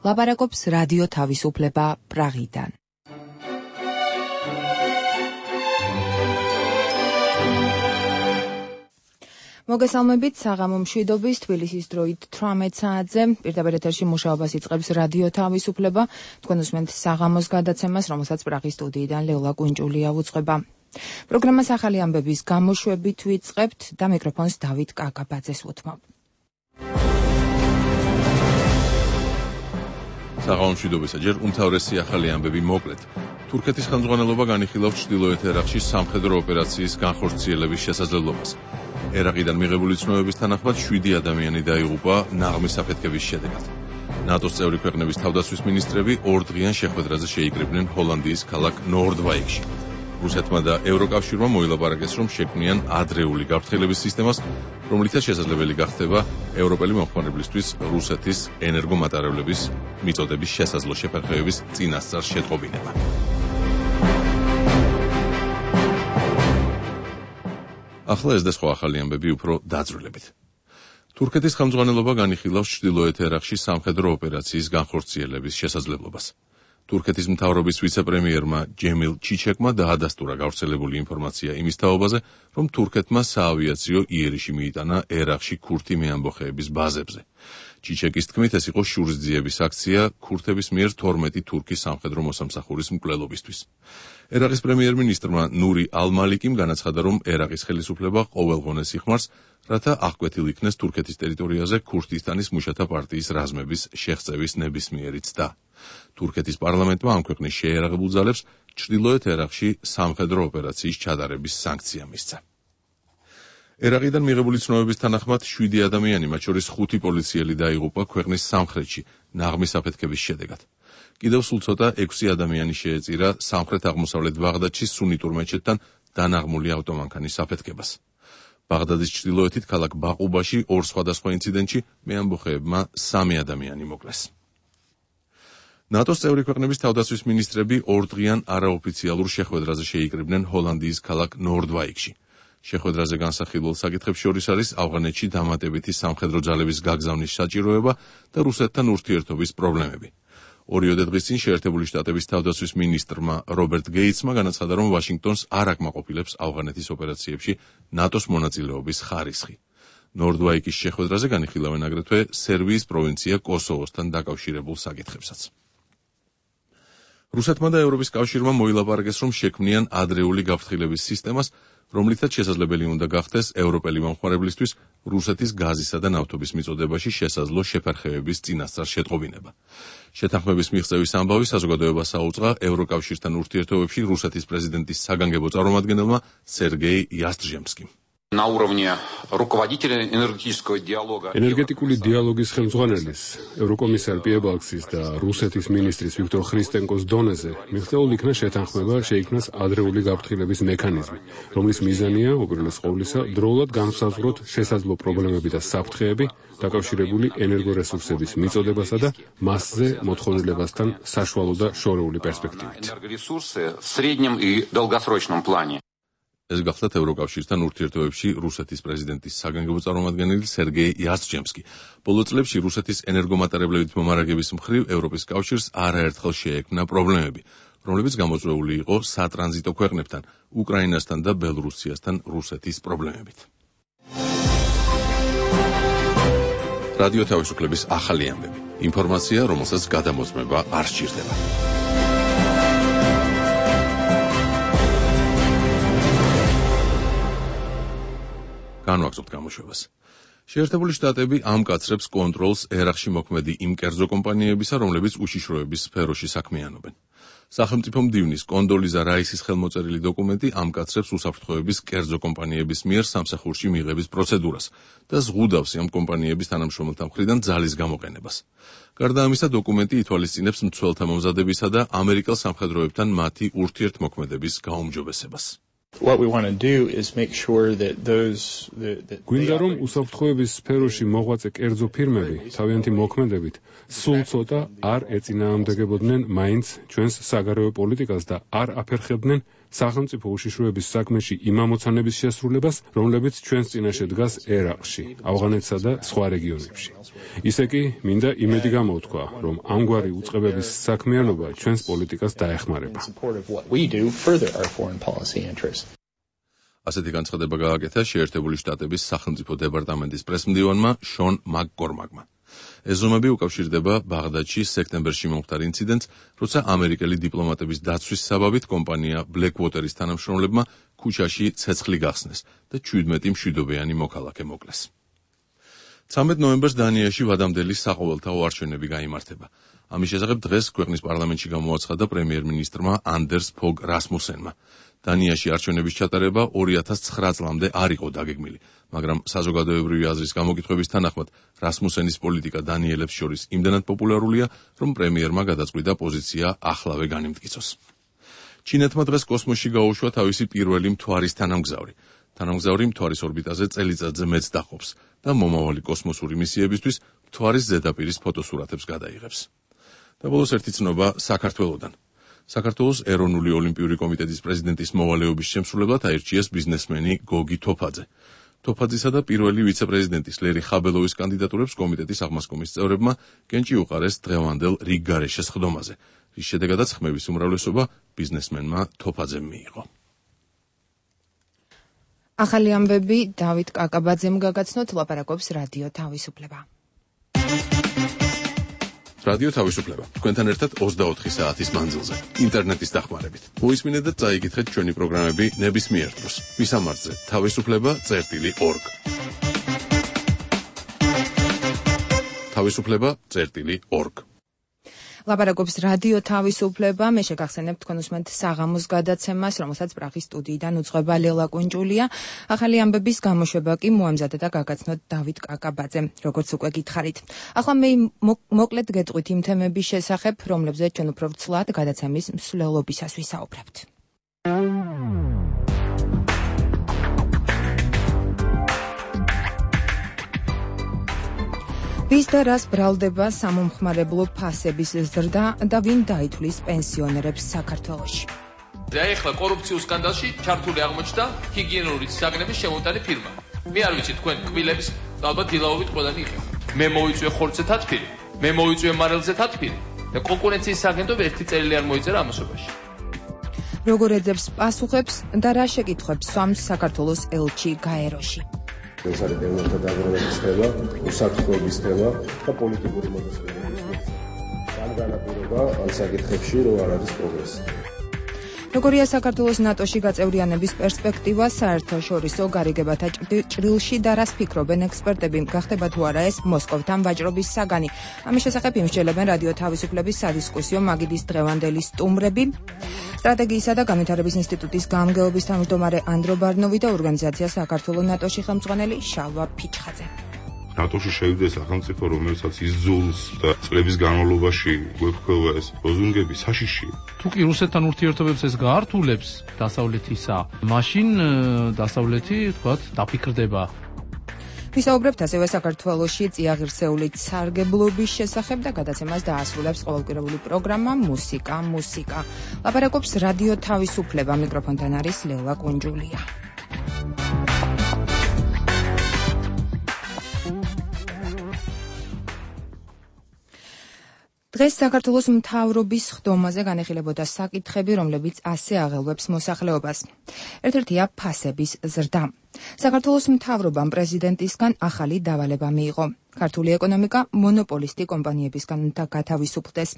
ლაპარაკობს რადიო თავისუფლება პრაღიდან. მოგესალმებით საღამო მშვიდობის თბილისის დროით 18 საათზე პირდაპირ ეთერში მუშაობას იწყებს რადიო თავისუფლება. თქვენ უსმენთ საღამოს გადაცემას, რომელსაც პრაღის სტუდიიდან ლეოლა კუნჭულია უძღვება. პროგრამას ახალი ამბების გამოშვებით ვიწყებთ და მიკროფონს დავით კაკაბაძეს უთმობ. საღამო მშვიდობისა, ჯერ უმთავრესი ახალი ამბები მოკლედ. თურქეთის ხელმძღვანელობა განიხილავს ჩრდილოეთ ერაყში სამხედრო ოპერაციის განხორციელების შესაძლებლობას. ერაყიდან მიღებული ცნობების თანახმად 7 ადამიანი დაიღუპა ნაღმის აფეთქების შედეგად. ნატოს წევრი ქვეყნების თავდაცვის მინისტრები ორდღიან შეხვედრაზე შეიკრიბნენ ჰოლანდიის ქალაქ ნორდვაიკში. რუსეთმა და ევროკავშირმა მოილაპარაკეს, რომ შექმნიან ადრეული გაფრთხილების სისტემას, რომლითაც შესაძლებელი გახდება ევროპელი მომხმარებლისთვის რუსეთის ენერგომატარებლების მიწოდების შესაძლო შეფერხებების წინასწარ შეტყობინება. ახლა ეს და სხვა ახალი ამბები უფრო დაძრულებით. თურქეთის ხელმძღვანელობა განიხილავს ჩრდილოეთ ერაყში სამხედრო ოპერაციის განხორციელების შესაძლებლობას. თურქეთის მთავრობის ვიცე-პრემიერმა ჯემილ ჩიჩეკმა დაადასტურა გავრცელებული ინფორმაცია იმის თაობაზე, რომ თურქეთმა საავიაციო იერიში მიიტანა ერაყში ქურთი მეამბოხეების ბაზებზე. ჩიჩეკის თქმით, ეს იყო შურისძიების აქცია ქურთების მიერ 12 თურქის სამხედრო მოსამსახურის მკვლელობისთვის. ერაყის პრემიერ-მინისტრმა ნური ალ-მალიკიმ განაცხადა, რომ ერაყის ხელისუფლება ყოველღონეს იხმარს, რათა აღკვეთილ იქნეს თურქეთის ტერიტორიაზე ქურთისტანის მუშათა პარტიის რაზმების შეღწევის ნებისმიერი ცდა. თურქეთის პარლამენტმა ამ ქვეყნის შეიარაღებულ ძალებს ჩრდილოეთ ერაყში სამხედრო ოპერაციის ჩატარების სანქცია მისცა. ერაყიდან მიღებული ცნობების თანახმად 7 ადამიანი, მათ შორის 5 პოლიციელი დაიღუპა ქვეყნის სამხრეთში ნაღმის აფეთქების შედეგად. კიდევ სულ ცოტა 6 ადამიანი შეეწირა სამხრეთ-აღმოსავლეთ ბაღდადში სუნიტურ მეჩეთთან დანაღმული ავტომანქანის აფეთქებას. ბაღდადის ჩრდილოეთით ქალაქ ბაყუბაში ორ სხვადასხვა ინციდენტში მეამბოხეებმა 3 ადამიანი მოკლეს. ნატოს წევრი ქვეყნების თავდაცვის მინისტრები ორდღიან არაოფიციალურ შეხვედრაზე შეიკრიბნენ ჰოლანდიის ქალაქ ნორდვაიკში. შეხვედრაზე განსახილველ საკითხებს შორის არის ავღანეთში დამატებითი სამხედრო ძალების გაგზავნის საჭიროება და რუსეთთან ურთიერთობის პრობლემები. 2 დღის წინ შეერთებული შტატების თავდაცვის მინისტრმა რობერტ გეიცმა განაცხადა, რომ ვაშინგტონს არ აკმაყოფილებს ავღანეთის ოპერაციებში ნატოს მონაწილეობის ხარისხი. ნორდვაიკის შეხვედრაზე განიხილავენ აგრეთვე სერბიის პროვინცია კოსოვოსთან დაკავშირებულ საკითხებსაც. რუსეთმა და ევროპის კავშირმა მოილაპარაკეს, რომ შექმნიან ადრეული გაფრთხილების სისტემას, რომლითაც შესაძლებელი უნდა გახდეს ევროპელი მომხმარებლისთვის რუსეთის გაზისა და ნავთობის მიწოდებაში შესაძლო შეფერხებების წინასწარ შეტყობინება. შეთანხმების მიღწევის ამბავი საზოგადოებას აუწყა ევროკავშირთან ურთიერთობებში რუსეთის პრეზიდენტის საგანგებო წარმომადგენელმა სერგეი იასტრჟემსკიმ. ენერგეტიკული დიალოგის ხელმძღვანელის, ევროკომისარ პიებალქსის და რუსეთის მინისტრის ვიქტორ ხრისტენკოს დონეზე მიღწეულ იქნა შეთანხმება შეიქმნას ადრეული გაფრთხილების მექანიზმი, რომლის მიზანია უპირველეს ყოვლისა დროულად განსაზღვროთ შესაძლო პრობლემები და საფრთხეები დაკავშირებული ენერგორესურსების მიწოდებასა და მასზე მოთხოვნილებასთან საშუალო და შორეული პერსპექტივით. ეს გახლდათ ევროკავშირთან ურთიერთობებში რუსეთის პრეზიდენტის საგანგებო წარმომადგენელი სერგეი იასტრჟემსკი. ბოლო წლებში რუსეთის ენერგომატარებლებით მომარაგების მხრივ ევროპის კავშირს არაერთხელ შეექმნა პრობლემები, რომლებიც გამოწვეული იყო სატრანზიტო ქვეყნებთან, უკრაინასთან და ბელორუსიასთან რუსეთის პრობლემებით. რადიო თავისუფლების ახალი ამბები. ინფორმაცია, რომელსაც გადამოწმება არ სჭირდება. განვაგრძობთ გამოშვებას. შეერთებული შტატები ამკაცრებს კონტროლს ერაყში მოქმედი იმ კერძო კომპანიებისა, რომლებიც უშიშროების სფეროში საქმიანობენ. სახელმწიფო მდივნის კონდოლიზა რაისის ხელმოწერილი დოკუმენტი ამკაცრებს უსაფრთხოების კერძო კომპანიების მიერ სამსახურში მიღების პროცედურას და ზღუდავს ამ კომპანიების თანამშრომელთა მხრიდან ძალის გამოყენებას. გარდა ამისა, დოკუმენტი ითვალისწინებს მცველთა მომზადებისა და ამერიკელ სამხედროებთან მათი ურთიერთმოქმედების გაუმჯობესებას. გვინდა რომ უსაფრთხოების სფეროში მოღვაწე კერძო ფირმები თავიანთი მოქმედებით სულ ცოტა არ ეწინააღმდეგებოდნენ მაინც ჩვენს საგარეო პოლიტიკას და არ აფერხებდნენ სახელმწიფო უშიშროების საქმეში იმ ამოცანების შესრულებას, რომლებიც ჩვენს წინაშე დგას ერაყში, ავღანეთსა და სხვა რეგიონებში. ისე კი მინდა იმედი გამოვთქვა, რომ ამგვარი უწყებების საქმიანობა ჩვენს პოლიტიკას დაეხმარება. ასეთი განცხადება გააკეთა შეერთებული შტატების სახელმწიფო დეპარტამენტის პრესმდივანმა შონ მაკკორმაკმა. ეს ზომები უკავშირდება ბაღდადში სექტემბერში მომხდარ ინციდენტს, როცა ამერიკელი დიპლომატების დაცვის საბაბით კომპანია Blackwater-ის თანამშრომლებმა ქუჩაში ცეცხლი გახსნეს და 17 მშვიდობიანი მოქალაქე მოკლეს. 13 ნოემბერს დანიაში ვადამდელი საყოველთაო არჩევნები გაიმართება. ამის შესახებ დღეს ქვეყნის პარლამენტში გამოაცხადა პრემიერ-მინისტრმა ანდერს ფოგ რასმუსენმა. დანიაში არჩევნების ჩატარება 2009 წლამდე არ იყო დაგეგმილი, მაგრამ საზოგადოებრივი აზრის გამოკითხვების თანახმად რასმუსენის პოლიტიკა დანიელებს შორის იმდენად პოპულარულია, რომ პრემიერმა გადაწყვიტა პოზიცია ახლავე განიმტკიცოს. ჩინეთმა დღეს კოსმოსში გაუშვა თავისი პირველი მთვარის თანამგზავრი. თანამგზავრი მთვარის ორბიტაზე წელიწადზე მეც დაყოფს და მომავალი კოსმოსური მისიებისთვის მთვარის ზედაპირის ფოტოსურათებს გადაიღებს. და ბოლოს ერთი ცნობა საქართველოდან. საქართველოს ეროვნული ოლიმპიური კომიტეტის პრეზიდენტის მოვალეობის შემსრულებლად აირჩიეს ბიზნესმენი გოგი თოფაძე. თოფაძისა და პირველი ვიცე-პრეზიდენტის ლერი ხაბელოვის კანდიდატურებს კომიტეტის აღმასკომის წევრებმა კენჭი უყარეს დღევანდელ რიგგარეშე სხდომაზე, რის შედეგადაც ხმების უმრავლესობა ბიზნესმენმა თოფაძემ მიიღო. ახალი ამბები დავით კაკაბაძემ გაგაცნოთ, ლაპარაკობს რადიო თავისუფლება. რადიო თავისუფლება. თქვენთან ერთად 24 საათის მანძილზე, ინტერნეტის დახმარებით. მოისმინეთ და წაიკითხეთ ჩვენი პროგრამები ნებისმიერ დროს. მისამართზე თავისუფლება.org. თავისუფლება.org. ლაპარაკობს რადიო თავისუფლება. მე შეგახსენებ თქვენ უსმენთ საღამოს გადაცემას, რომელსაც პრაღის სტუდიიდან უძღვება ლელა კუნჭულია. ახალი ამბების გამოშვება კი მოამზადა და გაგაცნოთ დავით კაკაბაძემ, როგორც უკვე გითხარით. ახლა მე მოკლედ გეტყვით იმ თემების შესახებ, რომლებზეც ჩვენ უფრო ცვლად გადაცემის მსვლელობისას ვისაუბრებთ. ვის და რას ბრალდება სამომხმარებლო ფასების ზრდა და ვინ დაითვლის პენსიონერებს საქართველოში. ახლა კორუფციულ სკანდალში ჩართული აღმოჩნდა ჰიგიენური საგნების შემოტანი ფირმა. მე არ ვიცი თქვენ კბილებს ალბათ დილაობით ყველანი იყენთ. მე მოვიწვიე ხორცზე თათფირი, მე მოვიწვიე მარილზე თათფირი და კონკურენციის საგენტომ ერთი წელი არ მოიწერა ამასობაში. როგორ ეძებს პასუხებს და რა შეკითხვებს სვამს საქართველოს ელჩი გაეროში. ეს არის პეუნელთა დაგროვების თემა, უსაფრთხოების თემა და პოლიტიკური მოდელების. ამ განაპირობა ამ საკითხებში რო არ არის პროგრესი. როგორია საქართველოს ნატოში გაწევრიანების პერსპექტივა საერთაშორისო გარიგებათა ჭრილში და რას ფიქრობენ ექსპერტები, გახდება თუ არა ეს მოსკოვთან ვაჭრობის საგანი. ამის შესახებ იმსჯელებენ რადიო თავისუფლების სადისკუსიო მაგიდის დღევანდელი სტუმრები. სტრატეგიისა და განვითარების ინსტიტუტის გამგეობის თავმჯდომარე ანდრო ბარნოვი და ორგანიზაცია საქართველოს ნატოში ხელმძღვანელი შალვა ფიჩხაძე. ნატოში შევიდა სახელმწიფო, რომელსაც იზოლს და წლების განმავლობაში გვეფქვა ეს ლოზუნგები საშიში. თუ კი რუსეთთან ურთიერთობებს ეს გაართულებს დასავლეთისა, მაშინ დასავლეთი, თქვათ, დაფიქრდება. ვისაუბრებთ ასევე საქართველოში წიაღირსეული სარგებლობის შესახებ და გადაცემას დაასრულებს ყოველკვირეული პროგრამა მუსიკა. ლაპარაკობს რადიო თავისუფლება, მიკროფონთან არის ლელა კუნჯულია. დღეს საქართველოს მთავრობის ხდომაზე განეხილებოდა საკითხები, რომლებიც ასე აღელვებს მოსახლეობას. ერთ-ერთია ფასების ზრდა. საქართველოს მთავრობამ პრეზიდენტისგან ახალი დავალება მიიღო. ქართული ეკონომიკა მონოპოლისტი კომპანიებისგან გათავისუფლდეს.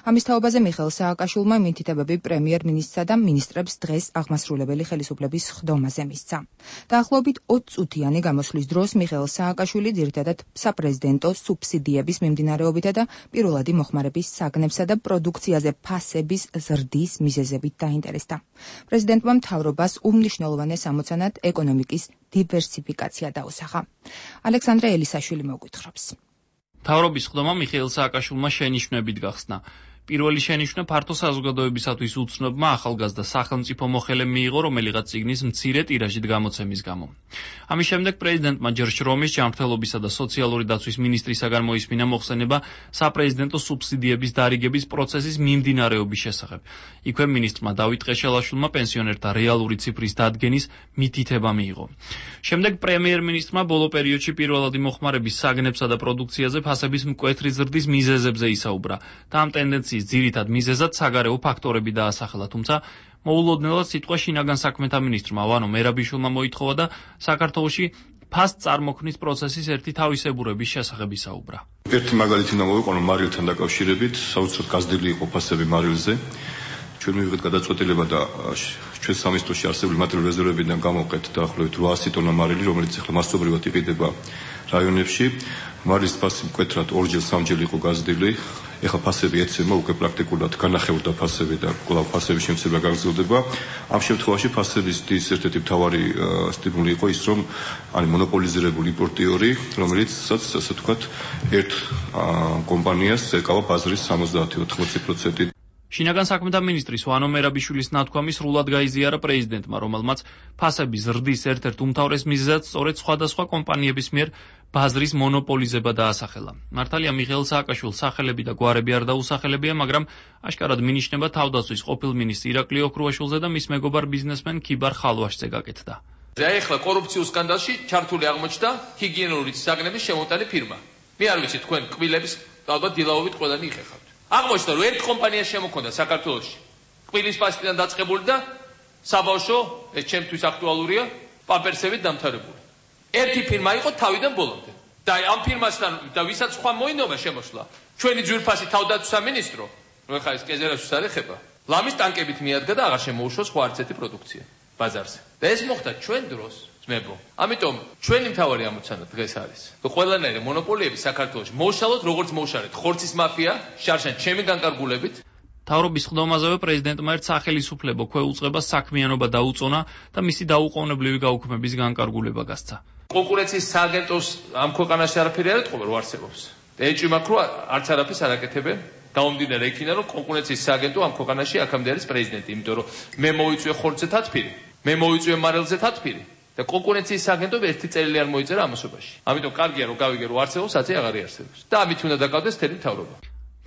ამის თაობაზე მიხეილ სააკაშვილმა მითითებები პრემიერ-მინისტრსა და მინისტრებს დღეს აღმასრულებელი ხელისუფლების ხდომაზე მისცა. დაახლოებით 20 წუთიანი გამოსვლის დროს მიხეილ სააკაშვილი ძირითადად საპრეზიდენტო სუბსიდიების მიმდინარეობითა და პირველადი მოხმარების საგნებსა და პროდუქციაზე ფასების ზრდის მიზეზებით დაინტერესდა. პრეზიდენტმა მთავრობას უმნიშვნელოვანეს ამოცანად ეკონომიკის დივერსიფიკაცია დაუსახა. ალექსანდრე ელისაშვილი მოგვითხრობს. მთავრობის ხდომა მიხეილ სააკაშვილმა შენიშვნებით გახსნა. პირველი შენიშვნა ფართო საზოგადოებისათვის უცნობმა ახალგაზრდა სახელმწიფო მოხელემ მიიღო, რომელიღაც წიგნის მცირე ტირაჟით გამოცემის გამო. ამის შემდეგ პრეზიდენტმა ჯერ შრომის, ჯანმრთელობისა და სოციალური დაცვის მინისტრისაგან მოისმინა მოხსენება საპრეზიდენტო სუბსიდიების დარიგების პროცესის მიმდინარეობის შესახებ. იქვე მინისტრმა დავით ყეშელაშვილმა პენსიონერთა რეალური ციფრის დადგენის მითითება მიიღო. შემდეგ პრემიერ-მინისტრმა ბოლო პერიოდში პირველადი მოხმარების საგნებსა და პროდუქციაზე ფასების მკვეთრი ზრდის მიზეზებზე ისაუბრა და ამ ტენდენციის ძირითად მიზეზად საგარეო ფაქტორები დაასახელა, თუმცა მოულოდნელად სიტყვა შინაგან საქმეთა მინისტრმა ვანო მერაბიშვილმა მოითხოვა და საქართველოში ფასს წარმოქმნის პროცესის ერთი თავისებურების შესახებ ისაუბრა. ერთი მაგალითი უნდა მოვიყვანო მარილთან დაკავშირებით, საოცრად გაზრდილი იყო ფასები მარილზე. ჩვენ მივიღეთ გადაწყვეტილება და ჩვენ სამინისტროში არსებული მატერიალური რეზერვებიდან გამოვყეთ დაახლოებით 800 ტონა მარილი, რომელიც ახლა მასობრივად იყიდება რაიონებში. მარილის ფასი მკვეთრად ორჯერ სამჯერ იყო გაზრდილი. ეხლა ფასები ეცემა უკვე პრაქტიკულად განახევრდა ფასები და კვლავ ფასების შემცირება გაგრძელდება. ამ შემთხვევაში ფასების დის ერთ-ერთი მთავარი სტიმული იყო ის, რომ არის მონოპოლიზირებული იმპორტიორი, რომელიც ასე ვთქვათ, ერთ კომპანიას ეკავა ბაზრის 70-80%. შინაგან საქმეთა მინისტრის ვანო მერაბიშვილის ნათქვამი სრულად გაიზიარა პრეზიდენტმა, რომელმაც ფასების ზრდის ერთ-ერთ უმთავრეს მიზეზად სწორედ სხვადასხვა კომპანიების მიერ ბაზრის მონოპოლიზება დაასახელა. მართალია მიხეილ სააკაშვილის სახელები და გვარები არ დაუსახელებია, მაგრამ აშკარად მინიშნება თავდაცვის ყოფილ მინისტრ ირაკლი ოქრუაშვილზე და მის მეგობარ ბიზნესმენ ქიბარ ხალვაშზე გაკეთდა. ახლა კორუფციულ სკანდალში ჩართული აღმოჩნდა ჰიგიენური საგნების შემოტანი ფირმა. მე არ ვიცი თქვენ კბილების ალბათ დილაობით ყველანი იხეხავთ. აღმოჩნდა რომ ერთ კომპანიას შემოქონდა საქართველოში კბილის პასტიდან დაწყებული და საბავშვო, ეს ჩემთვის აქტუალურია, პამპერსებით დამთავრებული. ერთი ფირმა იყო თავიდან ბოლომდე. და ამ ფირმასთან და ვისაც სხვა მოინდომა შემოსვლა, ჩვენი ძვირფასი თავდაცვის სამინისტრო, რომ ხა ეს კეზერაშვილს არ ეხება, ლამის ტანკებით მიადგა და აღარ შემოუშვას სხვა არც ერთი პროდუქცია ბაზარზე. და ეს მოხდა ჩვენ დროს, ძმებო. ამიტომ ჩვენი მთავარი ამოცანა დღეს არის, რომ ყველანაირი მონოპოლიები საქართველოში მოუშალოთ, როგორც მოუშალეთ ხორცის მაფია, შარშან ჩემი განკარგულებით. თავრობის ხდომაზევე პრეზიდენტმა ერთ სახელისუფლებო ქვეუწყებას საქმიანობა დაუწონა და მისი დაუყოვნებლივი გაუქმების განკარგულება გასცა. კონკურენციის სააგენტოს ამ ქვეყანაში არაფერი არ ეთყობა, რომ არსებობს. და ეჭვმა ქრო არც არაფერს არ აკეთებენ. გამომდინარე იქიდან, რომ კონკურენციის სააგენტო ამ ქვეყანაში აქამდე არის პრეზიდენტი, იმიტომ რომ მე მოვიწვიე ხორცზე თათფირი, მე მოვიწვიე მარილზე თათფირი და კონკურენციის სააგენტო ერთი წელი არ მოიწერა ამასობაში. ამიტომ კარგია რომ გავიგე რომ არსებობს, აცი აღარ არსებობს. და ამით უნდა დაკავდეს თელი მთავრობა.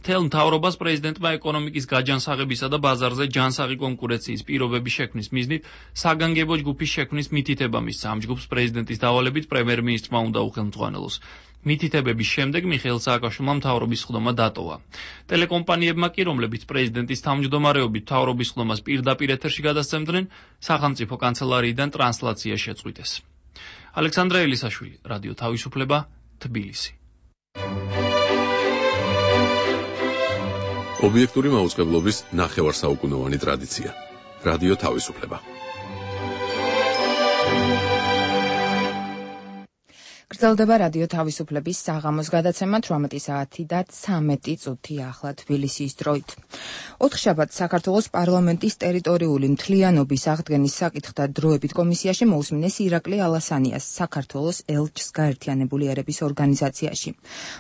მთელ მთავრობას პრეზიდენტმა ეკონომიკის გაჯანსაღებისა და ბაზარზე ჯანსაღი კონკურენციის პირობების შექმნის მიზნით საგანგებო ჯგუფის შექმნის მითითება მისცა. ამ ჯგუფს პრეზიდენტის დავალებით პრემიერ-მინისტრმა უნდა უხელმძღვანელოს. მითითებების შემდეგ მიხეილ სააკაშვილმა მთავრობის ხდომა დატოვა. ტელეკომპანიებმა კი, რომლებიც პრეზიდენტის თავმჯდომარეობით მთავრობის ხდომას პირდაპირ ეთერში გადასცემდნენ, სახელმწიფო კანცელარიიდან ტრანსლაცია შეწყვიტეს. ალექსანდრე ელისაშვილი, რადიო თავისუფლება, თბილისი. ობიექტური მაუწყებლობის ნახევარსაუკუნოვანი ტრადიცია. რადიო თავისუფლება. გრძელდება რადიო თავისუფლების საღამოს გადაცემა 18 საათი და 13 წუთი ახლა თბილისის დროით. ოთხშაბათს საქართველოს პარლამენტის ტერიტორიული მთლიანობის აღდგენის საკითხთა დროებით კომისიაში მოусმინეს ირაკლი ალასანიას საქართველოს ელჩს გაერთიანებული ერების ორგანიზაციაში.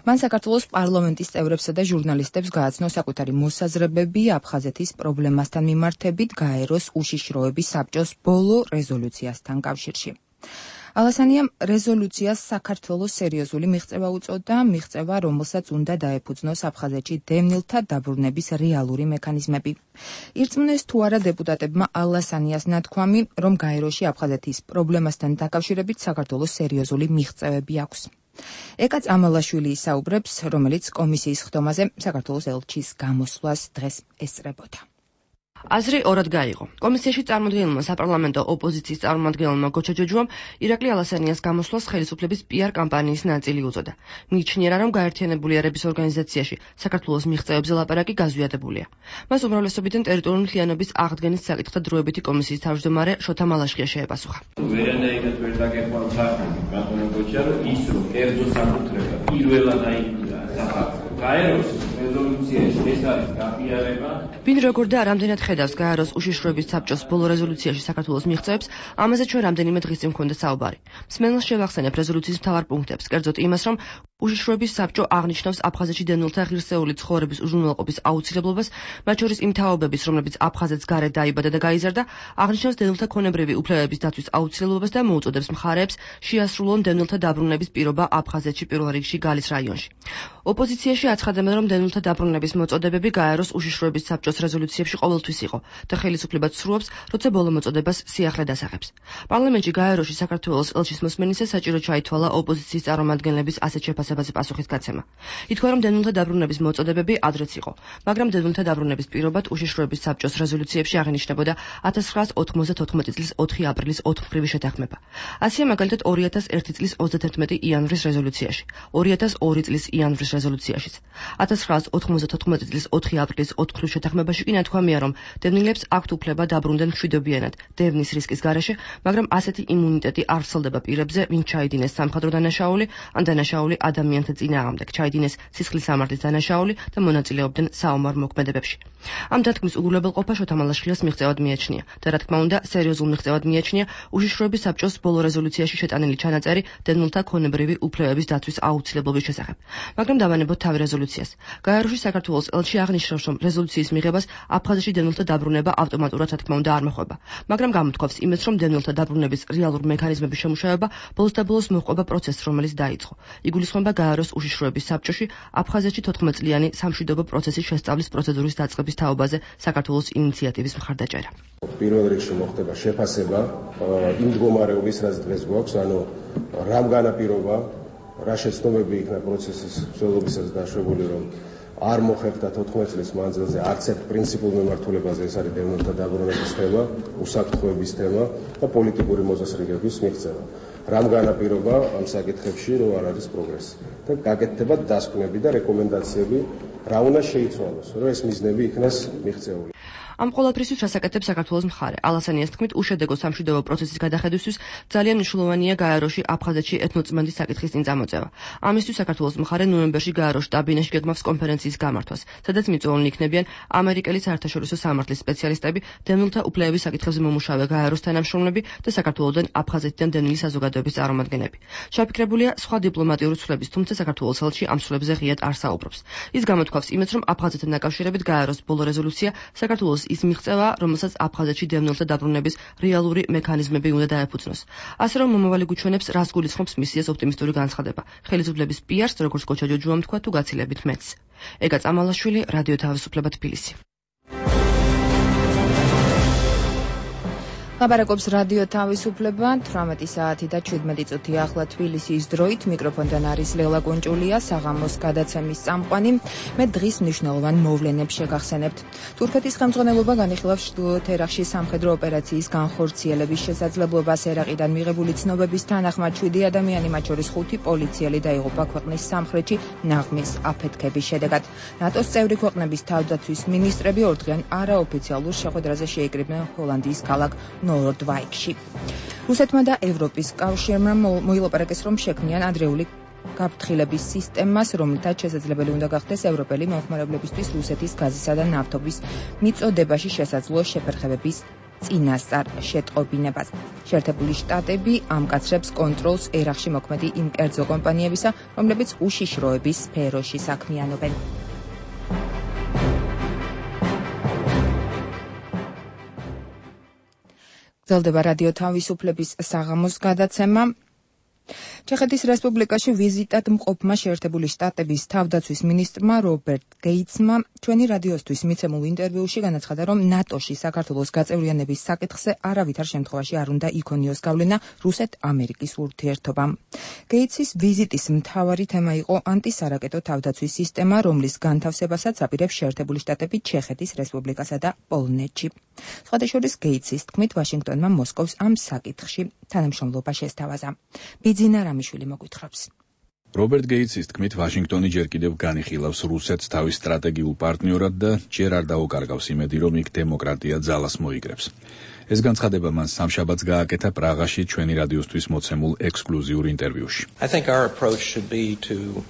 მან საქართველოს პარლამენტის წევრებსა და ჟურნალისტებს გააცნო საკუთარი მოსაზრებები აფხაზეთის პრობლემასთან მიმართებით გაეროს უშიშროების საბჭოს ბოლო რეზოლუციასთან კავშირში. ალასანიამ რეზოლუციას საქართველოს სერიოზული მიღწევა უწოდა, მიღწევა, რომელსაც უნდა დაეფუძნოს აფხაზეთში დევნილთა დაბრუნების რეალური მექანიზმები. ირწმუნეს თუ არა დეპუტატებმა ალასანიას ნათქვამი, რომ გაეროში აფხაზეთის პრობლემასთან დაკავშირებით საქართველოს სერიოზული მიღწევები აქვს. ეკაც ამალაშვილი ისაუბრებს, რომელიც კომისიის ხდომაზე საქართველოს ელჩის გამოსვლას დღეს ესწრებოდა. აზრი ორად გაიღო. კომისიაში წარმოდგენილმა საპარლამენტო ოპოზიციის წარმომადგენელმა გოჩა ჯოჯუამ ირაკლი ალასანიას გამოსვლას ხელისუფლების PR კამპანიის ნაწილი უწოდა. მიიჩნიერა, რომ გაერთიანებული ერების ორგანიზაციაში საქართველოს მიღწევებზე ლაპარაკი გაზვიადებულია. მას უმრავლესობიდან ტერიტორიული მთლიანობის აღდგენის საკითხთა დროებითი კომისიის თავმჯდომარე შოთა მალაშხია შეეპასუხა. ვერანაირად ვერ დაგეყვანთ ბატონო გოჩა, რომ ის რომ კერძო საკუთრება პირველად აიგია გაეროს რეზოლუციაში ეს არის გაფიარება. ვინ როგორ და რამდენად ხედავს გაეროს უშიშროების საბჭოს ბოლო რეზოლუციაში საქართველოს მიღწევებს, ამაზე ჩვენ რამდენიმე დღის წინ გვქონდა საუბარი. მსმენელს შევახსენებ რეზოლუციის მთავარ პუნქტებს, კერძოდ იმას, რომ უშიშროების საბჭო აღნიშნავს აფხაზეთში დევნილთა ღირსეული ცხოვრების უზრუნველყოფის აუცილებლობას, მათ შორის იმ თაობების, რომლებიც აფხაზეთს გარეთ დაიბადა და გაიზარდა, აღნიშნავს დევნილთა ქონებრივი უფლებების დაცვის აუცილებლობას და მოუწოდებს მხარეებს შეასრულონ დევნილთა დაბრუნების პირობა აფხაზეთში პირველ რიგში გალის რაიონში. ოპოზიციაში აცხადებენ, რომ დევნილთა დაბრუნების მოწოდებები გაეროს უშიშროების საბჭოს რეზოლუციებში ყოველთვის იყო და ხელისუფლება ცრუობს, როცა ბოლო მოწოდებას სიახლე დასახებს. პარლამენტში გაეროში საქართველოს ელჩის მოსმენისას საჭირო ჩაითვალა ოპოზიციის წარმომადგენლების ასეთ შეფასებაზე პასუხის გაცემა. ითქვა, რომ დევნილთა დაბრუნების მოწოდებები ადრეც იყო, მაგრამ დევნილთა დაბრუნების პირობად უშიშროების საბჭოს რეზოლუციებში აღინიშნებოდა 1994 წლის 4 აპრილის 4-მხრივი შეთანხმება. ასეა მაგალითად 2001 წლის 31 იანვრის რეზოლუციაში, 2002 წლის იანვრის რეზოლუციაშიც. 1994 წლის 4 აპრილის 4-მხრივ შეთანხმებაში კი ნათქვამია, რომ დევნილებს აქვთ უფლება დაბრუნდნენ მშვიდობიანად დევნის რისკის გარეშე, მაგრამ ასეთი იმუნიტეტი არ ვრცელდება პირებზე, ვინც ჩაიდინეს სამხედრო დანაშაული ან დანაშაული ადამიანთა წინააღმდეგ, ჩაიდინეს სისხლის სამართლის დანაშაული და მონაწილეობდნენ საომარ მოქმედებებში. ამ დათქმის უგულებელყოფა შოთა მალაშვილის მიღწევად მიაჩნია და რა თქმა უნდა, სერიოზულ მიღწევად მიაჩნია უშიშროების საბჭოს ბოლო რეზოლუციაში შეტანილი ჩანაწერი დევნილთა ქონებრივი უფლებების დაცვის აუცილებლობის შესახებ. მაგრამ დავანებოთ თავი რეზოლუციას. გაეროში საქართველოს ელჩი აღნიშნავს, რომ რეზოლუციის მიღებას აფხაზეთში დევნილთა დაბრუნება ავტომატურად რა თქმა უნდა არ მოხდება, მაგრამ გამოთქვამს იმედს, რომ დევნილთა დაბრუნების რეალურ მექანიზმების შემუშავება ბოლოს და ბოლოს მოჰყვება პროცესს, რომელიც დაიწყო. იგულისხმება გაეროს უშიშროების საბჭოში აფხაზეთში 14 წლიანი სამშვიდობო პროცესის შესწავლის პროცედურის დაწყების თაობაზე საქართველოს ინიციატივის მხარდაჭერა. პირველ რიგში მოხდება შეფასება იმ მდგომარეობის, რაც დღეს გვაქვს, ანუ რამ განაპირობა, რა შეცდომები იქნა პროცესის მსვლელობისას დაშვებული, რომ არ მოხერხდა 14 წლის მანძილზე არც ერთ პრინციპულ მემართულებაზე, ეს არის დევნილთა დაბრუნების თემა, უსაფრთხოების თემა და პოლიტიკური მოწესრიგების მიღწევა. რამ განაპირობა ამ საკითხებში, რომ არ არის პროგრესი და გაკეთდება დასკვნები და რეკომენდაციები, რა უნდა შეიცვალოს, რომ ეს მიზნები იქნას მიღწეული. ამ ყველაფრისთვის რასაკეთებს საქართველოს მხარე? ალასანიას თქმით, უშედეგო სამშვიდობო პროცესის გადახედვისთვის ძალიან მნიშვნელოვანია გაეროში აფხაზეთში ეთნოწმენდის საკითხის წინ წამოწევა. ამისთვის საქართველოს მხარე ნოემბერში გაეროს შტაბ-ბინაში გეგმავს კონფერენციის გამართვას, სადაც მიწვეულნი იქნებიან ამერიკელი საერთაშორისო სამართლის სპეციალისტები, დევნილთა უფლებების საკითხებზე მომუშავე გაეროს თანამშრომლები და საქართველოსთან აფხაზეთიდან დევნილი საზოგადოების წარმომადგენლები. შაფიქრებულია სხვა დიპლომატიური ცვლილების, თუმცა საქართველოს ელჩი ამ ცვლილებზე ღიად არ საუბრობს. ის გამოთქვავს იმედს, რომ აფხაზეთთან დაკავშირებით გაეროს ბოლო რეზოლუცია საქართველოს ის მიღწევა, რომელსაც აფხაზეთში დევნილთა დაბრუნების რეალური მექანიზმები უნდა დაეფუძნოს. ასე რომ მომავალი გვიჩვენებს, რას გულისხმობს მისიას ოპტიმისტური განცხადება. ხელისუფლების პიარს, როგორც კოჩა ჯოჯუამ თქვა, თუ გაცილებით მეც. ეგა წამალაშვილი, რადიო თავისუფლება თბილისი. ლაპარაკობს რადიო თავისუფლება 18 საათი და 17 წუთი ახლა თბილისის დროით. მიკროფონთან არის ლელა კუნჭულია, საღამოს გადაცემის წამყვანი. მე დღის მნიშვნელოვან მოვლენებს შეგახსენებთ. თურქეთის ხელმძღვანელობა განიხილავს ჩრდილოეთ ერაყში სამხედრო ოპერაციის განხორციელების შესაძლებლობას. ერაყიდან მიღებული ცნობების თანახმად 7 ადამიანი, მათ შორის 5 პოლიციელი დაიღუპა ქვეყნის სამხრეთში ნაღმის აფეთქების შედეგად. ნატოს წევრი ქვეყნების თავდაცვის მინისტრები ორდღიან არაოფიციალურ შეხვედრაზე შეიკრიბნენ ჰოლანდიის ქალაქ ნორდვაიკში. რუსეთმა და ევროპის კავშირმა მოილაპარაკეს, რომ შექმნიან ადრეული გაფრთხილების სისტემას, რომლითაც შესაძლებელი უნდა გახდეს ევროპელი მომხმარებლებისთვის რუსეთის გაზისა და ნავთობის მიწოდებაში შესაძლო შეფერხებების წინასწარ შეტყობინებას. შეერთებული შტატები ამკაცრებს კონტროლს ერაყში მოქმედი იმ კერძო კომპანიებისა, რომლებიც უშიშროების სფეროში საქმიანობენ. გრძელდება რადიო თავისუფლების საღამოს გადაცემა. ჩეხეთის რესპუბლიკაში ვიზიტად მყოფმა შეერთებული შტატების თავდაცვის მინისტრმა რობერტ გეიცმა ჩვენი რადიოსთვის მიცემულ ინტერვიუში განაცხადა, რომ ნატოში საქართველოს გაწევრიანების საკითხზე არავითარ შემთხვევაში არ უნდა იქონიოს გავლენა რუსეთ-ამერიკის ურთიერთობამ. გეიცის ვიზიტის მთავარი თემა იყო ანტისარაკეტო თავდაცვის სისტემა, რომლის განთავსებასაც აპირებს შეერთებული შტატები ჩეხეთის რესპუბლიკასა და პოლონეთში. სხვადასხვა გეიცის თქმით, ვაშინგტონმა მოსკოვს ამ საკითხში თანამშრომლობა შესთავაზა. ბიძინა რამიშვილი მოგვითხრობს. რობერტ გეიცის თქმით, ვაშინგტონი ჯერ კიდევ განიხილავს რუსეთს თავის სტრატეგიულ პარტნიორად და ჯერ არ დაუკარგავს იმედი, რომ იქ დემოკრატია ძალას მოიგრებს. ეს განცხადება მან სამშაბათს გააკეთა პრაღაში ჩვენი რადიოსთვის მოცემულ ექსკლუზიურ ინტერვიუში. I think our approach should be to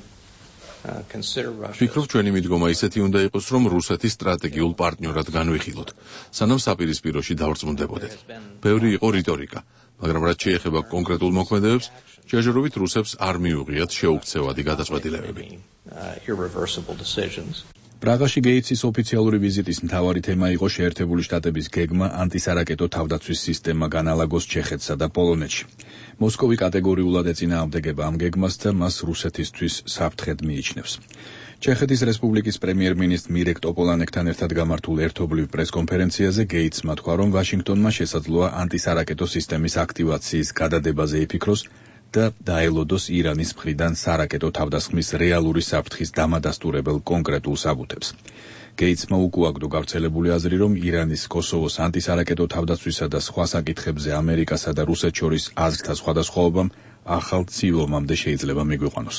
ვფიქრობ, ჩვენი მიდგომა ისეთი უნდა იყოს, რომ რუსეთის სტრატეგიულ პარტნიორად განვიხილოთ, სანამ საპირისპიროში დავრწმუნდებოდეთ. ბევრი იყო რიტორიკა, მაგრამ რაც შეეხება კონკრეტულ მოქმედებებს, ჯერჯერობით რუსებს არ მიუღიათ შეუქცევადი გადაწყვეტილებები. პრაღაში გეიცის ოფიციალური ვიზიტის მთავარი თემა იყო შეერთებული შტატების გეგმა ანტისარაკეტო თავდაცვის სისტემა განალაგოს ჩეხეთსა და პოლონეთში. მოსკოვი კატეგორიულად ეწინააღმდეგება ამ გეგმას და მას რუსეთისთვის საფრთხედ მიიჩნევს. ჩეხეთის რესპუბლიკის პრემიერ-მინისტრ მირეკ ტოპოლანეკთან ერთად გამართულ ერთობლივ პრესკონფერენციაზე გეიცმა თქვა, რომ ვაშინგტონმა შესაძლოა ანტისარაკეტო სისტემის აქტივაციის გადადებაზე იფიქროს და დაელოდოს ირანის მხრიდან სარაკეტო თავდასხმის რეალური საფრთხის დამადასტურებელ კონკრეტულ საბუთებს. გეიცმა უკუაგდო გავრცელებული აზრი, რომ ირანის კოსოვოს ანტისარაკეტო თავდაცვისა და სხვა საკითხებზე ამერიკასა და რუსეთს შორის აზრთა სხვადასხვაობამ ახალ ცილომამდე შეიძლება მიგვიყვანოს.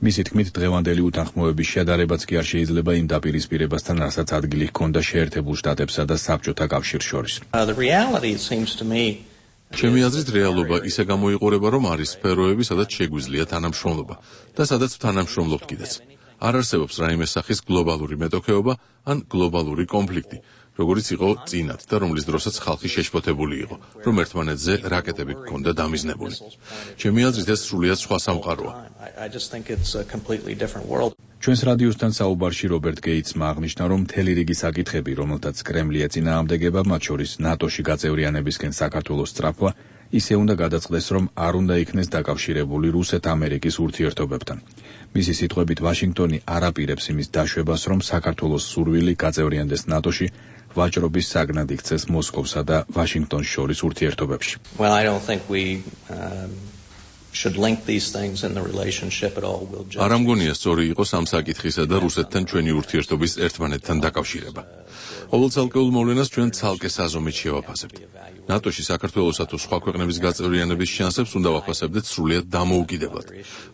მისი თქმით, დღევანდელი უთანხმოების შედარებაც კი არ შეიძლება იმ დაპირისპირებასთან, რასაც ადგილი ჰქონდა შეერთებულ შტატებსა და საბჭოთა კავშირს შორის. ჩემი აზრით, რეალობა ისე გამოიყურება, რომ არის სფეროები, სადაც შეგვიძლია თანამშრომლობა და სადაც თანამშრომლობთ კიდეც. არ არსებობს რაიმე სახის გლობალური მეტოქეობა ან გლობალური კონფლიქტი, როგორც იყო წინათ და რომლის დროსაც ხალხი შეშფოთებული იყო, რომ ერთმანეთზე რაკეტები ჰქონდა დამიზნებული. ჩემი აზრით, ეს სრულიად სხვა სამყაროა. ჩვენს რადიოსთან საუბარში რობერტ გეიცმა აღნიშნა, რომ მთელი რიგი საკითხები, რომელთაც კრემლი ეწინააღმდეგება, მათ შორის ნატოში გაწევრიანებისკენ საქართველოს სწრაფვა, ისე უნდა გადაწყდეს, რომ არ უნდა იქნეს დაკავშირებული რუსეთ-ამერიკის ურთიერთობებთან. მისი სიტყვებით, ვაშინგტონი არ აპირებს იმის დაშვებას, რომ საქართველოს სურვილი გაწევრიანდეს ნატოში, ვაჭრობის საგნად იქცეს მოსკოვსა და ვაშინგტონს შორის ურთიერთობებში. არ ამგონია სწორი იყოს ამ საკითხისა და რუსეთთან ჩვენი ურთიერთობის ერთმანეთთან დაკავშირება. ყოველ ცალკეულ მოვლენას ჩვენ ცალკე საზომით შევაფასებთ. ნატოში საქართველოსა თუ სხვა ქვეყნების გაწევრიანების შანსებს უნდა ვაფასებდეთ სრულიად დამოუკიდებლად.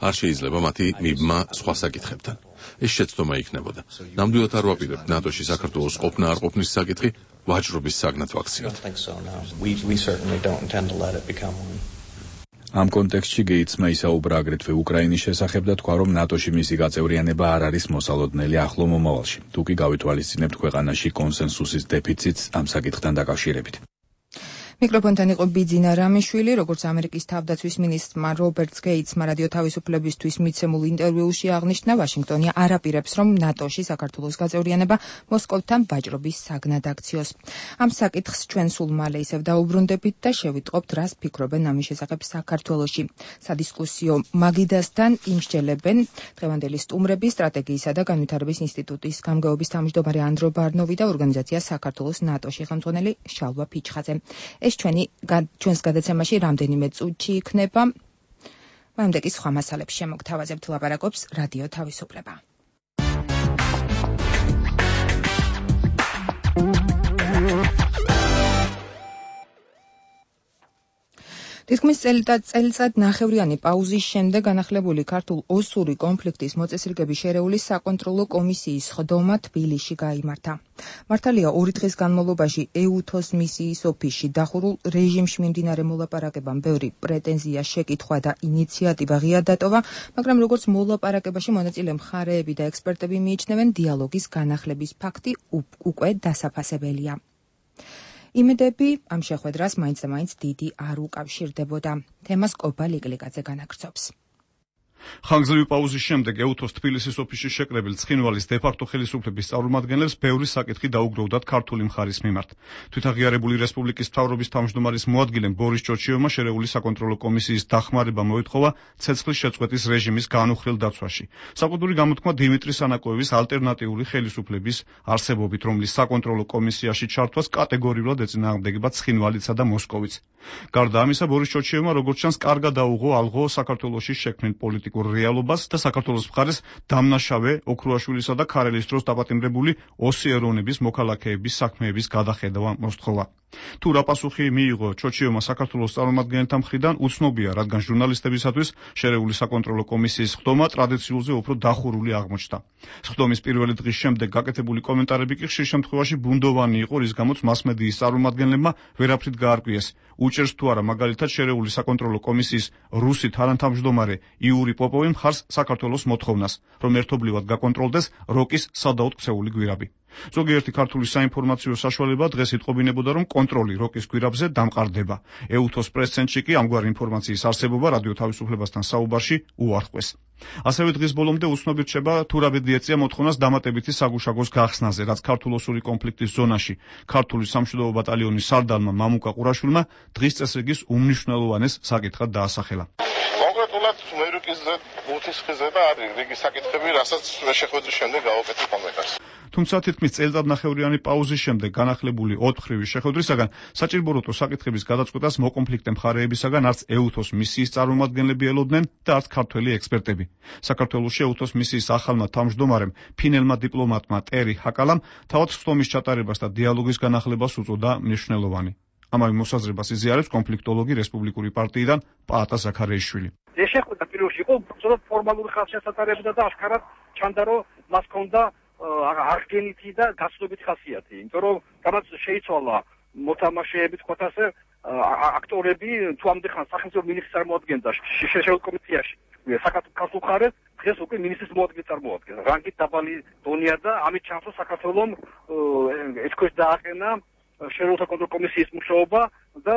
არ შეიძლება მათი მიბმა სხვა საკითხებთან. ეს შეცდომა იქნებოდა. ნამდვილად არ ვაპირებთ ნატოში საქართველოს ყოფნა არ ყოფნის საკითხი ვაჭრობის საგნად ვაქციოთ. ამ კონტექსტში გეიცმა ისაუბრა აგრეთვე უკრაინის შესახებ და თქვა, რომ ნატოში მისი გაწევრიანება არ არის მოსალოდნელი ახლო მომავალში. თუ კი გავითვალისწინებთ ქვეყანაში კონსენსუსის დეფიციტს ამ საკითხთან დაკავშირებით. მიკროფონთან იყო ბიძინა რამიშვილი, როგორც ამერიკის თავდაცვის მინისტრმა რობერტ გეიცმა რადიო თავისუფლებისთვის მიცემულ ინტერვიუში აღნიშნა, ვაშინგტონი არ აპირებს, რომ ნატოში საქართველოს გაწევრიანება მოსკოვთან ვაჭრობის საგნად აქციოს. ამ საკითხს ჩვენ სულ მალე ისევ დაუბრუნდებით და შევიტყობთ, რას ფიქრობენ ამის შესახებ საქართველოში. სადისკუსიო მაგიდასთან იმსჯელებენ დღევანდელი სტუმრები, სტრატეგიისა და განვითარების ინსტიტუტის გამგეობის თავმჯდომარე ანდრო ბარნოვი და ორგანიზაცია საქართველოს ნატოში ხელმძღვანელი შალვა ფიჩხაძე. ჩვენს გადაცემაში რამდენიმე წუთში იქნება. მანამდე კი სხვა მასალებს შემოგთავაზებთ, ლაპარაკობს რადიო თავისუფლება. თითქმის წელიწად ნახევრიანი პაუზის შემდეგ განახლებული ქართულ ოსური კონფლიქტის მოწესრიგების შერეული საკონტროლო კომისიის ხდომა თბილისში გაიმართა. მართალია 2 დღის განმავლობაში ეუთოს მისიის ოფისში დახურულ რეჟიმში მიმდინარე მოლაპარაკებამ ბევრი პრეტენზია, შეკითხვა და ინიციატივა ღია დატოვა, მაგრამ როგორც მოლაპარაკებაში მონაწილე მხარეები და ექსპერტები მიიჩნევენ, დიალოგის განახლების ფაქტი უკვე დასაფასებელია. იმედები ამ შეხვედრას მაინც და მაინც დიდი არ უკავშირდებოდა. თემას კობა ლიგლიგაძე განაგრძობს. ხანგრძლივი პაუზის შემდეგ ეუთოს თბილისის ოფისში შეკრებილ ცხინვალის დე-ფაქტო ხელისუფლების წარმომადგენლებს ბევრი საკითხი დაუგროვდათ ქართული მხარის მიმართ. თვითაღიარებული რესპუბლიკის მთავრობის თავმჯდომარის მოადგილემ ბორის ჭორჩიევმა შერეული საკონტროლო კომისიის დახმარება მოითხოვა ცეცხლის შეწყვეტის რეჟიმის განუხრელ დაცვაში. საკუთური გამოთქმა დიმიტრი სანაკოევის ალტერნატიული ხელისუფლების არსებობით, რომლის საკონტროლო კომისიაში ჩართვას კატეგორიულად ეწინააღმდეგება ცხინვალისა და მოსკოვიც. გარდა ამისა, ბორის ჭორჩიევმა როგორც ჩანს კარგად დაუღო ალღო საქართველოში შექმნილ პოლიტიკურ რეალობას და საქართველოს მხარეს დამნაშავე ოქროაშვილისა და ქარელის დროს დაპატიმრებული ოსი ეროვნების მოქალაქეების საქმეების გადახედვა მოსთხოვა. თუ რა პასუხი მიიღო ჭორჩიევმა საქართველოს წარმომადგენელთა მხრიდან, უცნობია, რადგან ჟურნალისტებისათვის შერეული საკონტროლო კომისიის ხდომა ტრადიციულზე უფრო დახურული აღმოჩნდა. ხდომის პირველი დღის შემდეგ გაკეთებული კომენტარები კი ხშირ შემთხვევაში ბუნდოვანი იყო, რის გამოც მასმედიის წარმომადგენლებმა ვერაფრით გაარკვიეს. უჭერს თუ არა მაგალითად შერეული საკონტროლო კომისიის რუსი თანათავმჯდომარე იური პოპოვი მხარს საქართველოს მოთხოვნას, რომ ერთობლივად გაკონტროლდეს როკის სადაოდ ქცეული გვირაბი. ზოგიერთი ქართული საინფორმაციო საშუალება დღეს იტყობინებოდა, რომ კონტროლი როკის გვირაბზე დამყარდება. ეუთოს პრეს-ცენტრში კი ამგვარი ინფორმაციის არსებობა რადიო თავისუფლებასთან საუბარში უარყვეს. ასევე დღის ბოლომდე უცნობი რჩება, თუ რა ბედი ეწია მოთხოვნას დამატებითი საგუშაგოს გახსნაზე, რაც ქართულ-ოსური კონფლიქტის ზონაში ქართული სამშვიდობო ბატალიონის სარდალმა მამუკა ყურაშვილმა დღის წესრიგის უმნიშვნელოვანეს საკითხად დაასახელა. კონკრეტულად მერუკიზზე, უთისხიზე და არის რიგი საკითხები, რასაც შეხვედრის შემდეგ გავაკეთებ ამერიკას. თუმცა თითქმის წელიწადნახევრიანი პაუზის შემდეგ განახლებული ოთხრივი შეხვედრისაგან საჭიროა საკითხების გადაწყვეტას მოკონფლიქტე მხარეებისაგან არც ეუთოს მისიის წარმომადგენლები ელოდნენ და არც ქართველი ექსპერტები. საქართველოს ეუთოს მისიის ახალმა თავმჯდომარემ ფინელმა დიპლომატმა ტერი ჰაკალამ თავად სხდომის ჩატარებას და დიალოგის განახლებას უწოდა მნიშვნელოვანი. ამავე მოსაზრებას იზიარებს კონფლიქტოლოგი რესპუბლიკური პარტიიდან პაატა ზაქარიაშვილი. ეს შეხვედრა პირველში იყო უბრალოდ ფორმალური ხალხშესაწყობებდა და აშკარად ჩანდა, რომ მას ჰქონდა არგენითი და გაცნობითი ხასიათი, იმიტომ რომ რამაც შეიცვალა მოთამაშეები, თქვათ ასე, აქტორები თუ ამდე ხან სახელმწიფო მინისტრის წარმოადგენდა შეშეშეულ კომისიაში. საქართველოს მხარეს დღეს უკვე მინისტრის მოადგილე წარმოადგენს. რანგით დაბალი დონია და ამით ჩანს, რომ საქართველოს ეს დააყენა შერეულთა კონტროლ კომისიის მუშაობა და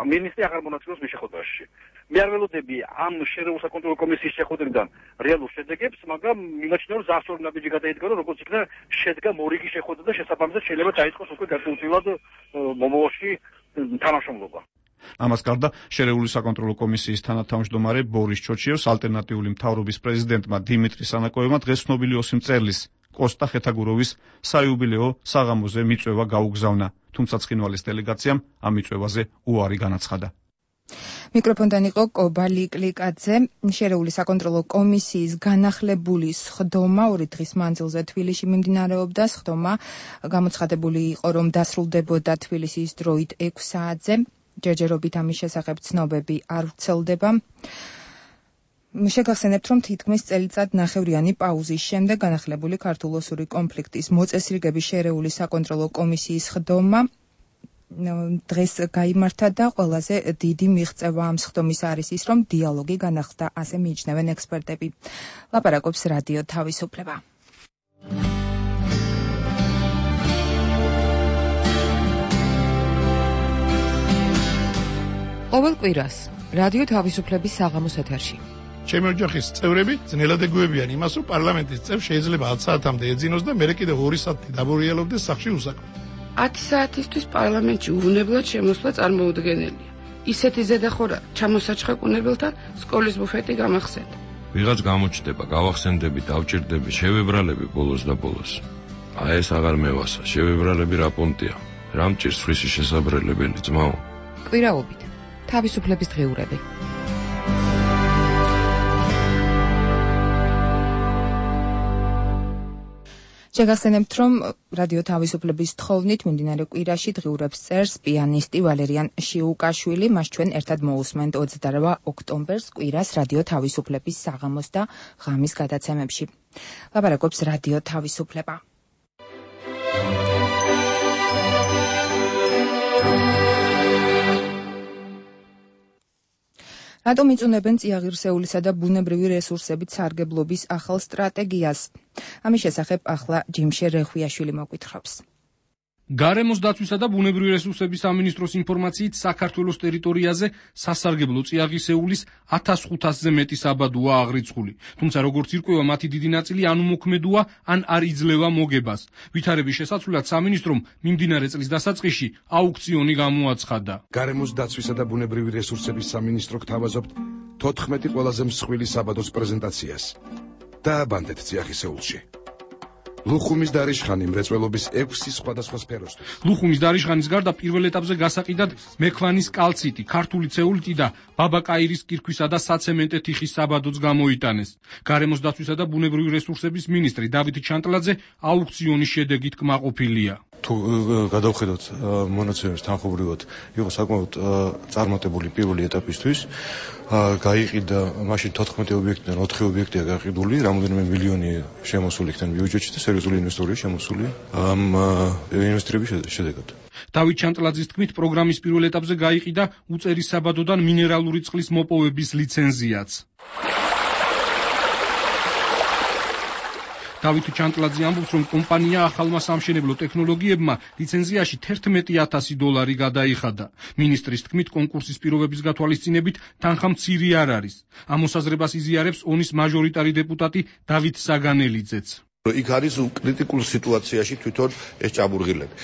მინისტრი აღარ მონაწილეობს მის შეხვედრაში. მე არ ველოდები ამ შერეულთა კონტროლ კომისიის შეხვედრიდან რეალურ შედეგებს, მაგრამ მიმაჩნია, რომ ზარსორი ნაბიჯი გადაიდგა, რომ როგორც იქნა შედგა მორიგი შეხვედრა და შესაბამისად შეიძლება დაიწყოს უკვე გარკვეულწილად მომავალში თანამშრომლობა. ამას გარდა შერეული საკონტროლო კომისიის თანათავმჯდომარე ბორის ჩოჩიევს ალტერნატიული მთავრობის პრეზიდენტმა დიმიტრი სანაკოევმა დღეს ცნობილი 20 მწერლის კოსტა ხეთაგუროვის საიუბილეო საღამოზე მიწვევა გაუგზავნა, თუმცა ცხინვალის დელეგაციამ ამ მიწვევაზე უარი განაცხადა. მიკროფონთან იყო კობალი კლიკაძე. შერეული საკონტროლო კომისიის განახლებული სხდომა 2 დღის მანძილზე თბილისში მიმდინარეობდა. სხდომა გამოცხადებული იყო, რომ დასრულდებოდა თბილისის დროით 6 საათზე. ჯერჯერობით ამის შესახებ ცნობები არ ვრცელდება. შეგახსენებთ, რომ თითქმის წელიწადნახევრიანი პაუზის შემდეგ განახლებული ქართულ-ოსური კონფლიქტის მოწესრიგების შერეული საკონტროლო კომისიის სხდომა დღეს გაიმართა და ყველაზე დიდი მიღწევა ამ სხდომის არის ის, რომ დიალოგი განახლდა, ასე მიიჩნევენ ექსპერტები. ლაპარაკობს რადიო თავისუფლება. ყოველ კვირას რადიო თავისუფლების საღამოს ეთერში ჩემი ოჯახის წევრები ძნელად ეგუებიან იმას, რომ პარლამენტის წევრ შეიძლება 10 საათამდე ეძინოს და მერე კიდევ 2 საათი დაბურიელობდეს სახლში უსაქმოდ. 10 საათისთვის პარლამენტში უვნებლად შემოსვლა წარმოუდგენელია. ისეთი ზედახორა ჩამოსაჩხეკუნებელთან სკოლის ბუფეტი გამახსენდა. ვიღაც გამოჩნდება, გავახსენდები, დავჭირდები, შევებრალები ბოლოს და ბოლოს. აი ეს აღარ მევასა, შევებრალები რა პონტია. რა მჭირს ხმისი შესაბრელებელი ძმაო? კვირაობით თავისუფლების დღიურები. შეგახსენებთ, რომ რადიო თავისუფლების თხოვნით მიმდინარე კვირაში დღიურებს წერს პიანისტი ვალერიან შიუკაშვილი. მას ჩვენ ერთად მოусმენთ 28 ოქტომბერს კვირას რადიო თავისუფლების საღამოს და ღამის გადაცემებში. ლაპარაკობს რადიო თავისუფლება. რატომ იწუნებენ წიაღირსეულისა და ბუნებრივი რესურსებით სარგებლობის ახალ სტრატეგიას? ამის შესახებ ახლა ჯიმშე რეხვიაშვილი მოგვითხრობს. გარემოს დაცვისა და ბუნებრივი რესურსების სამინისტროს ინფორმაციით საქართველოს ტერიტორიაზე სასარგებლო წიაღისეულის 1500-ზე მეტი საბადოა აღრიცხული. თუმცა როგორც ირკვევა, მათი დიდი ნაწილი ან უმოქმედოა, ან არ იძლევა მოგებას. ვითარების შესაცვლად სამინისტრომ მიმდინარე წლის დასაწყისში აუქციონი გამოაცხადა. გარემოს დაცვისა და ბუნებრივი რესურსების სამინისტრო გთავაზობთ 14 ყველაზე მსხვილი საბადოს პრეზენტაციას. დააბანდეთ წიაღისეულში. ლუხუმის დარიშხანი მრეწველობის 6 სხვადასხვა სფეროსთვის. ლუხუმის დარიშხანის გარდა პირველ ეტაპზე გასაყიდად მექვანის კალციტი, ქართული ცეულიტი და ბაბაკაირის კირქვისა და საცემენტე თიხის საბადოც გამოიტანეს. გარემოს დაცვისა და ბუნებრივი რესურსების მინისტრი დავით ჩანტლაძე აუქციონის შედეგით კმაყოფილია. თუ გადავხედოთ მონაცემებს თანხმობრივად, იყო საკმაოდ წარმატებული პირველი ეტაპისთვის. გაიყიდა მაშინ 14 ობიექტიდან 4 ობიექტია გაყიდული, რამოდენიმე მილიონი შემოსული იქიდან ბიუჯეტში და სერიოზული ინვესტორია შემოსული ამ ინვესტირების შედეგად. დავით ჩანტლაძის თქმით, პროგრამის პირველ ეტაპზე გაიყიდა უწერის საბადოდან მინერალური წყლის მოპოვების ლიცენზიაც. დავით ჩანტლაძე ამბობს, რომ კომპანია ახალმა სამშენებლო ტექნოლოგიებმა ლიცენზიაში $11,000 გადაიხადა. მინისტრის თქმით, კონკურსის პირობების გათვალისწინებით თანხა მცირე არ არის. ამ მოსაზრებას იზიარებს ონის მაჟორიტარი დეპუტატი დავით საგანელიძეც. იქ არის კრიტიკულ სიტუაციაში თვითონ ეს ჭაბურღილები.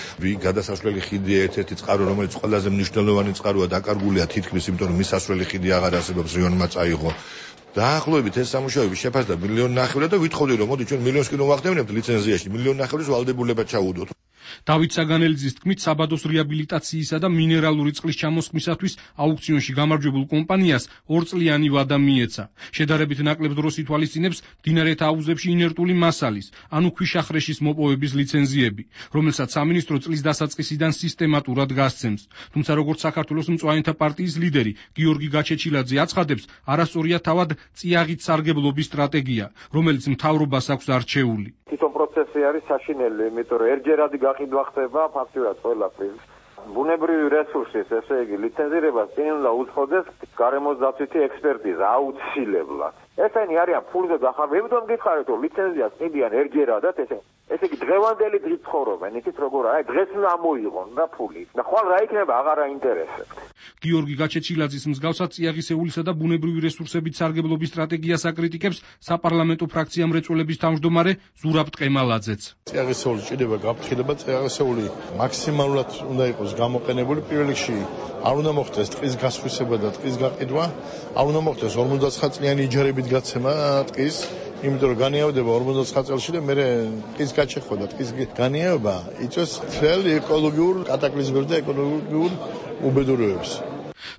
გადასასვლელი ხიდია ერთ-ერთი წყარო, რომელიც ყველაზე მნიშვნელოვანი წყაროა, დაკარგულია თითქმის, იმიტომ რომ მის სასვლელი ხიდი აღარ არსებობს, რიონმა წაიღო. დაახლოებით ეს სამუშაოები შეფასდა $1,500,000 და ვითხოვდი რომ მოდი ჩვენ $1,000,000 კი რომ ვახდევნებთ ლიცენზიაში, $1,000,000 ვალდებულებად ჩაუდოთ. დავით საგანელიძის თქმით, საბადოს რეაბილიტაციისა და მინერალური წყლის ჩამოსხმისათვის აუქციონში გამარჯვებულ კომპანიას 2 წლიანი ვადა მიეცა. შედარებით ნაკლებ დროს ითვალისწინებს მდინარეთა აუზებში ინერტული მასალის, ანუ ქვიშახრეშის მოპოვების ლიცენზიები, რომელსაც სამინისტრო წლის დასაწყისიდან სისტემატურად გასცემს. თუმცა როგორც საქართველოს მწვანეთა პარტიის ლიდერი გიორგი გაჩეჩილაძე აცხადებს, არასწორია თავად წიაღით სარგებლობის სტრატეგია, რომელიც მთავრობას აქვს არჩეული. თვითონ პროცესი არის საშინელი, იმიტომ რომ ერთჯერადი გაყიდვა ხდება ფაქტურად ყველაფრის. ბუნებრივი რესურსის, ესე იგი, ლიცენზირებას წინ უნდა უძღოდეს გარემოს დაცვითი ექსპერტიზა აუცილებლად. ესენი არიან ფულზე დახარჯული. იმიტომ გითხარით, რომ ლიცენზიას ყიდიან ერთჯერადად, ესე იგი დღევანდელი დღით ცხოვრობენ, იცით როგორ არის, დღეს უნდა მოიღონ და ფული. და ხვალ რა იქნება, აღარ აინტერესებთ. გიორგი გაჩეჩილაძის მსგავსად წიაღისეულისა და ბუნებრივი რესურსებით სარგებლობის სტრატეგიას აკრიტიკებს საპარლამენტო ფრაქცია მრეწველების თავმჯდომარე ზურაბ ტყემალაძეც. წიაღისეული ჭიდება გაფრთხილება, წიაღისეული მაქსიმალურად უნდა იყოს გამოყენებული. პირველ რიგში არ უნდა მოხდეს ტყის გასხვისება და ტყის გაყიდვა, არ უნდა მოხდეს 59 წლიანი იჯარებით გაცემა ტყის, იმიტომ რომ განიავდება 59 წელში და მე ტყის გაჩეხვა და ტყის განიავება იწვევს მთელ ეკოლოგიურ კატაკლიზმებს და ეკოლოგიურ უბედურებებს.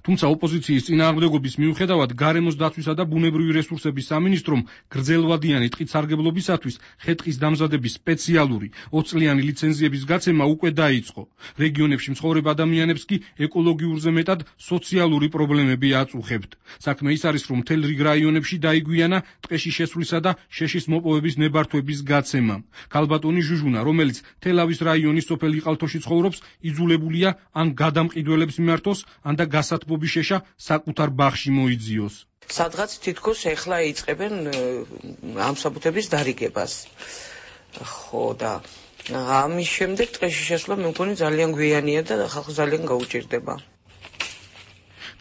თუმცა ოპოზიციის წინააღმდეგობის მიუხედავად გარემოს დაცვისა და ბუნებრივი რესურსების სამინისტრომ გრძელვადიანი ტყით სარგებლობისათვის ხე-ტყის დამზადების სპეციალური 20 წლიანი ლიცენზიების გაცემა უკვე დაიწყო. რეგიონებში მცხოვრებ ადამიანებს კი ეკოლოგიურზე მეტად სოციალური პრობლემები აწუხებთ. საქმე ის არის, რომ მთელ რიგ რაიონებში დაიგვიანა ტყეში შესვლისა და შეშის მოპოვების ნებართვების გაცემა. ქალბატონი ჟუჟუნა, რომელიც თელავის რაიონის სოფელ იყალთოში ცხოვრობს, იძულებულია ან გადამყიდველებს მიმართოს, ან და გასათბობის შეშა საკუთარ ბაღში მოიძიოს. სადღაც თითქოს ეხლა იწყებენ ამ საბუთების დარიგებას. ხო და ამის შემდეგ ტყეში შესვლა მე მგონი ძალიან გვიანია და ხალხს ძალიან გაუჭირდება.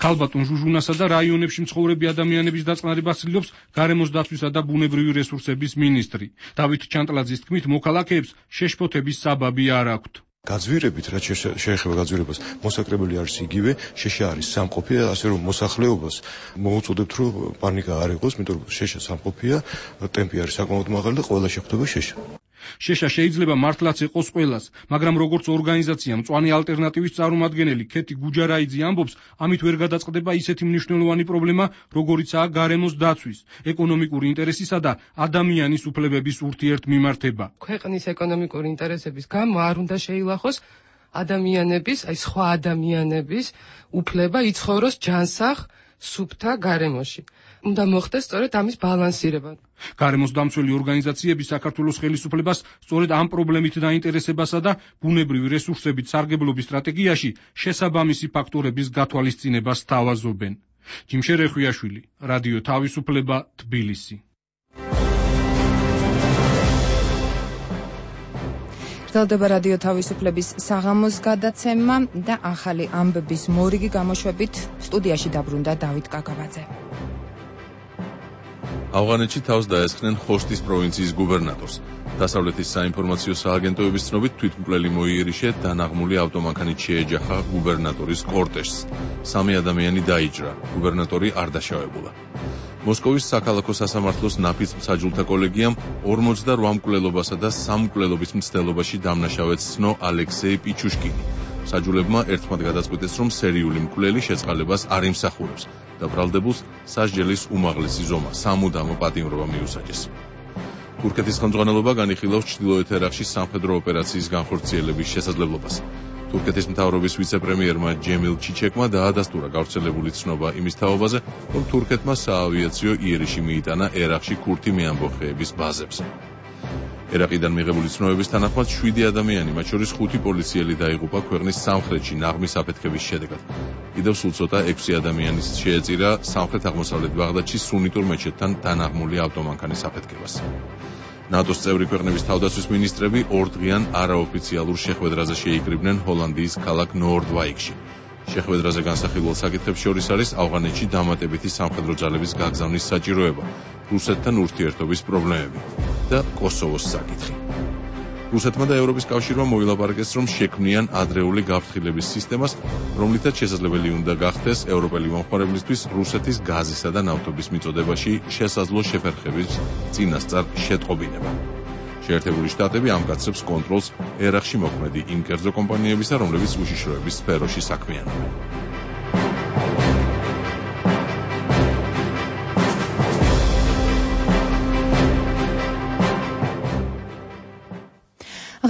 ქალბატონ ჟუჟუნასა და რაიონებში მცხოვრები ადამიანების დაწყნარებას ცდილობს გარემოს დაცვისა და ბუნებრივი რესურსების მინისტრი. დავით ჩანტლაძის თქმით, მოქალაქეებს შეშფოთების საბაბი არ აქვთ. გაძვირებით, რაც შეეხება გაძვირებას, მოსაკრებელი არის იგივე, შეშა არის სამყოფი და ასე რომ მოსახლეობას მოუწოდებთ, რომ პანიკა არ იყოს, იმიტომ რომ შეშა სამყოფია, ტემპი არის საკმაოდ მაღალი და ყველა შეხვდება შეშა. შეშა შეიძლება მართლაც ეყოს ყველას, მაგრამ როგორც ორგანიზაცია მწვანე ალტერნატივის წარმომადგენელი ქეთი გუჯარაიძე ამბობს, ამით ვერ გადაწყდება ისეთი მნიშვნელოვანი პრობლემა, როგორიცაა გარემოს დაცვის, ეკონომიკური ინტერესისა და ადამიანის უფლებების ურთიერთმიმართება. ქვეყნის ეკონომიკური ინტერესების გამო არ უნდა შეილახოს ადამიანების, აი სხვა ადამიანების უფლება იცხოვროს ჯანსაღ სუფთა გარემოში. უნდა მოხდეს სწორედ ამის ბალანსირება. გარემოს დამცველი ორგანიზაციები საქართველოს ხელისუფლებას სწორედ ამ პრობლემით დაინტერესებასა და ბუნებრივი რესურსებით სარგებლობის სტრატეგიაში შესაბამისი ფაქტორების გათვალისწინებას სთავაზობენ. ჯიმშე რეხვიაშვილი, რადიო თავისუფლება, თბილისი. გრძელდება რადიო თავისუფლების საღამოს გადაცემა და ახალი ამბების მორიგი გამოშვებით სტუდიაში დაბრუნდა დავით კაკაბაძე. ავღანეთში თავს დაესხნენ ხოშტის პროვინციის გუბერნატორს. დასავლეთის საინფორმაციო სააგენტოების ცნობით თვითმკვლელი მოიერიშე დანაღმული ავტომანქანით შეეჯახა გუბერნატორის კორტეჟს. 3 ადამიანი დაიჭრა, გუბერნატორი არ დაშავებულა. მოსკოვის საქალაქო სასამართლოს ნაფიც-მსაჯულთა კოლეგიამ 48 მკვლელობასა და 3 მკვლელობის მცდელობაში დამნაშავედ ცნო ალექსეი პიჩუშკინი. საჯულებმა ერთმანეთ გადაწყვიტეს, რომ სერიული მკვლელი შეწყალებას არ იმსახურებს და ბრალდებულს სასჯელის უმაღლესი ზომა, სამუდამო პატიმრობა მიუსაჯეს. თურქეთის ხელმძღვანელობა განიხილავს ჩრდილოეთ ერაყში სამხედრო ოპერაციის განხორციელების შესაძლებლობას. თურქეთის მთავრობის ვიცე-პრემიერმა ჯემილ ჩიჩეკმა დაადასტურა გავრცელებული ცნობა იმის თაობაზე, რომ თურქეთმა საავიაციო იერიში მიიტანა ერაყში ქურთი მეამბოხეების ბაზებზე. ერაყიდან მიღებული ცნობების თანახმად 7 ადამიანი, მათ შორის 5 პოლიციელი დაიღუპა ქვეყნის სამხრეთში ნაღმის აფეთქების შედეგად. კიდევ სულ ცოტა 6 ადამიანის შეეწირა სამხრეთ-აღმოსავლეთ ბაღდადში სუნიტურ მეჩეთთან დანაღმული ავტომანქანის აფეთქებას. ნატოს წევრი ქვეყნების თავდაცვის მინისტრები ორდღიან არაოფიციალურ შეხვედრაზე შეიკრიბნენ ჰოლანდიის ქალაქ ნორდვაიკში. შეხვედრაზე განსახილველ საკითხებს შორის არის ავღანეთში დამატებითი სამხედრო ძალების გაგზავნის საჭიროება, რუსეთთან ურთიერთობის პრობლემები და კოსოვოს საკითხი. რუსეთმა და ევროპის კავშირმა მოილაპარაკეს, რომ შექმნიან ადრეული გაფრთხილების სისტემას, რომლითაც შესაძლებელი უნდა გახდეს ევროპელი მომხმარებლისთვის რუსეთის გაზისა და ნავთობის მიწოდებაში შესაძლო შეფერხების წინასწარ შეტყობინება. შეერთებული შტატები ამკაცრებს კონტროლს ერაყში მოქმედი იმ კერძო კომპანიებისა, რომლებიც უშიშროების სფეროში საქმიანობენ.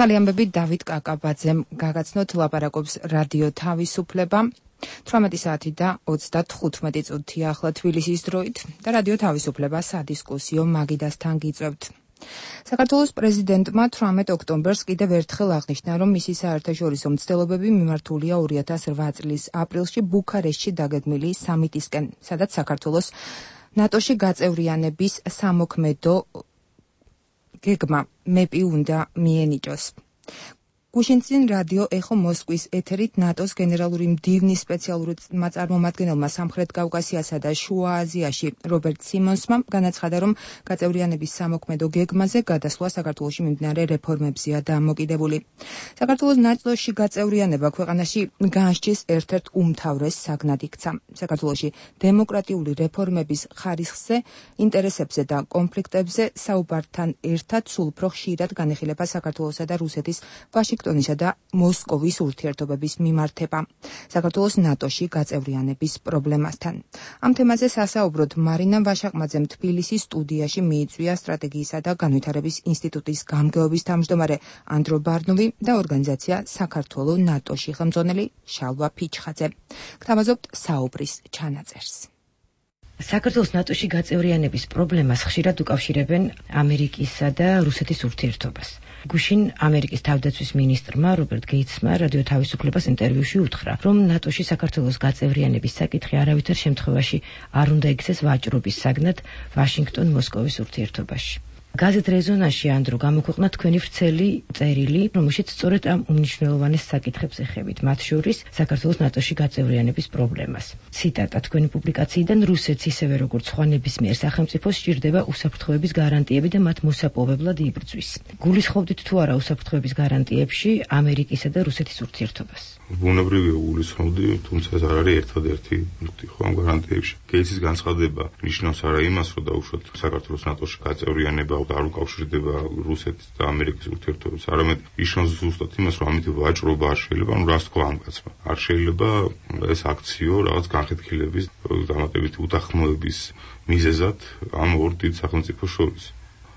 ახალი ამბები დავით კაკაბაძემ გაგაცნოთ, ლაპარაკობს რადიო თავისუფლება. 18 საათი და 35 წუთია ახლა თბილისის დროით და რადიო თავისუფლება სადისკუსიო მაგიდასთან გიწევთ. საქართველოს პრეზიდენტმა 18 ოქტომბერს კიდევ ერთხელ აღნიშნა, რომ მისი საერთაშორისო მცდელობები მიმართულია 2008 წლის აპრილში ბუქარესტში დაგეგმილი სამიტისკენ, სადაც საქართველოს ნატოში გაწევრიანების სამოქმედო გეგმა მეპი უნდა მიენიჭოს. გუშინწინ რადიო ეხო მოსკვის ეთერით ნატოს გენერალური მდივნის სპეციალური წარმომადგენელმა სამხრეთ კავკასიასა და შუა აზიაში რობერტ სიმონსმა განაცხადა, რომ გაწევრიანების სამოქმედო გეგმაზე გადასვლა საქართველოში მიმდინარე რეფორმებზეა დამოკიდებული. საქართველოს ნატოში გაწევრიანება ქვეყანაში განსჯის ერთ-ერთ უმთავრეს საგნად იქცა. საქართველოში დემოკრატიული რეფორმების ხარისხზე, ინტერესებზე და კონფლიქტებზე საუბართან ერთად სულ უფრო ხშირად განიხილება საქართველოსა და რუსეთის ვაშინგტონისა და მოსკოვის ურთიერთობების მიმართება საქართველოს ნატოში გაწევრიანების პრობლემასთან. ამ თემაზე სასაუბროდ მარინა ვაშაყმაძემ თბილისის სტუდიაში მიიწვია სტრატეგიისა და განვითარების ინსტიტუტის გამგეობის თავმჯდომარე ანდრო ბარნოვი და ორგანიზაცია საქართველო ნატოში ხელმძღვანელი შალვა ფიჩხაძე. გთავაზობთ საუბრის ჩანაწერს. საქართველოს ნატოში გაწევრიანების პრობლემას ხშირად უკავშირებენ ამერიკისა და რუსეთის ურთიერთობას. გუშინ ამერიკის თავდაცვის მინისტრმა რობერტ გეიცმა რადიო თავისუფლებას ინტერვიუში უთხრა, რომ ნატოში საქართველოს გაწევრიანების საკითხი არავითარ შემთხვევაში არ უნდა იქცეს ვაჭრობის საგნად ვაშინგტონ-მოსკოვის ურთიერთობაში. გაზეთ რეზონანსში ანდრო გამოქვეყნა თქვენი ვრცელი წერილი, რომელშიც სწორედ ამ უმნიშვნელოვანეს საკითხებს ეხებით, მათ შორის საქართველოს ნატოში გაწევრიანების პრობლემას. ციტატა თქვენი პუბლიკაციიდან: რუსეთს ისევე როგორც სხვა ნებისმიერ სახელმწიფოს სჭირდება უსაფრთხოების გარანტიები და მათ მოსაპოვებლად იბრძვის. გულისხმობდით თუ არა უსაფრთხოების გარანტიებში ამერიკისა და რუსეთის ურთიერთობას? ბუნებრივია გულისხმობდი, თუმცა ეს არ არის ერთადერთი პუნქტი ხო ამ გარანტიებში. გეიცის განცხადება ნიშნავს არა იმას, რომ დაუშვათ საქართველოს ნატოში გაწევრიანება და არ უკავშირდება რუსეთის და ამერიკის ურთიერთობებს, არამედ ნიშნავს ზუსტად იმას, რომ ამით ვაჭრობა არ შეიძლება, ანუ რას თქვა ამ კაცმა. არ შეიძლება ეს აქციო რაღაც განხეთქილების, დამატებითი უთანხმოების მიზეზად ამ ორ დიდ სახელმწიფოს შორის.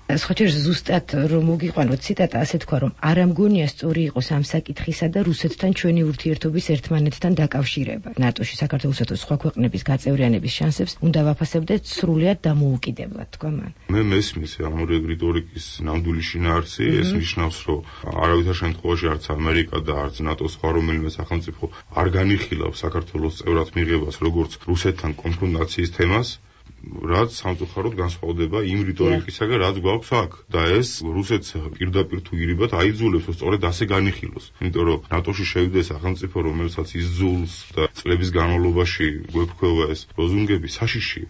სხვაჯერ ზუსტად რომ მოგიყვანოთ ციტატა, ასე თქვა, რომ არ ამგონია სწორი იყოს ამ საკითხისა და რუსეთთან ჩვენი ურთიერთობის ერთმანეთთან დაკავშირება. ნატოში საქართველოსა და სხვა ქვეყნების გაწევრიანების შანსებს უნდა ვაფასებდეთ სრულიად დამოუკიდებლად, თქვა მან. მე მესმის ამ რეგრიტორიკის ნამდვილი შინაარსი, ეს ნიშნავს, რომ არავითარ შემთხვევაში არც ამერიკა და არც ნატოს სხვა რომელიმე სახელმწიფო არ განიხილავს საქართველოს წევრად მიღებას როგორც რუსეთთან კონფრონტაციის თემას, რაც სამწუხაროდ განსხვავდება იმ რიტორიკისაგან, რაც გვაქვს აქ. და ეს რუსეთს პირდაპირ თუ ირიბად აიძულებს, რომ სწორედ ასე განიხილოს. იმიტომ რომ ნატოში შევიდა სახელმწიფო, რომელსაც იზძულს და წლების განმავლობაში გვეფქვევა ეს ლოზუნგები საშიში.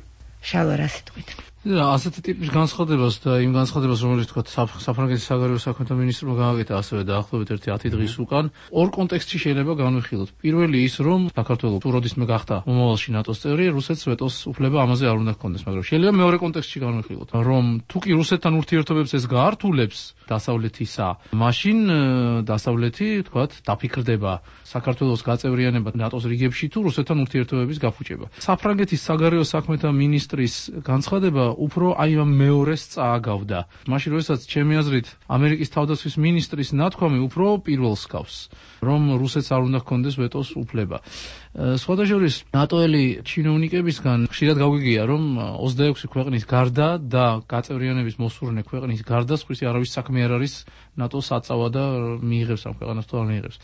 შალვა, რა სიტყვით? ასეთი ტიპის განცხადებას და იმ განცხადებას, რომელიც თქვა საფრანგეთის საგარეო საქმეთა მინისტრმა გააკეთა ასევე დაახლოებით 10 დღის უკან, ორ კონტექსტში შეიძლება განვიხილოთ. პირველი ის, რომ საქართველოს თუ როდისმე გახდა მომავალში ნატოს წევრი, რუსეთს ვეტოს უფლება ამაზე არ უნდა ჰქონდეს, მაგრამ შეიძლება მეორე კონტექსტში განვიხილოთ, რომ თუ კი რუსეთთან ურთიერთობებს ეს გაართულებს დასავლეთისა, მაშინ დასავლეთი, თქვათ, დაფიქრდება საქართველოს გაწევრიანება ნატოს რიგებში თუ რუსეთთან ურთიერთობების გაფუჭება. საფრანგეთის საგარეო საქმეთა მინისტრის განცხადება უფრო აი ამ მეორეს წააგავდა. მაშინ როდესაც ჩემი აზრით ამერიკის თავდაცვის მინისტრის ნათქვამი უფრო პირველს გავს, რომ რუსეთს არ უნდა ჰქონდეს ვეტოს უფლება. სხვადასხვა ნატოელი ჩინოვნიკებისგან ხშირად გაგვიგია, რომ 26 ქვეყნის გარდა და გაწევრიანების მოსურნე ქვეყნის გარდა სხვისი არავის საქმე არ არის ნატოს საწავა და მიიღებს ამ ქვეყანას თუ არ მიიღებს.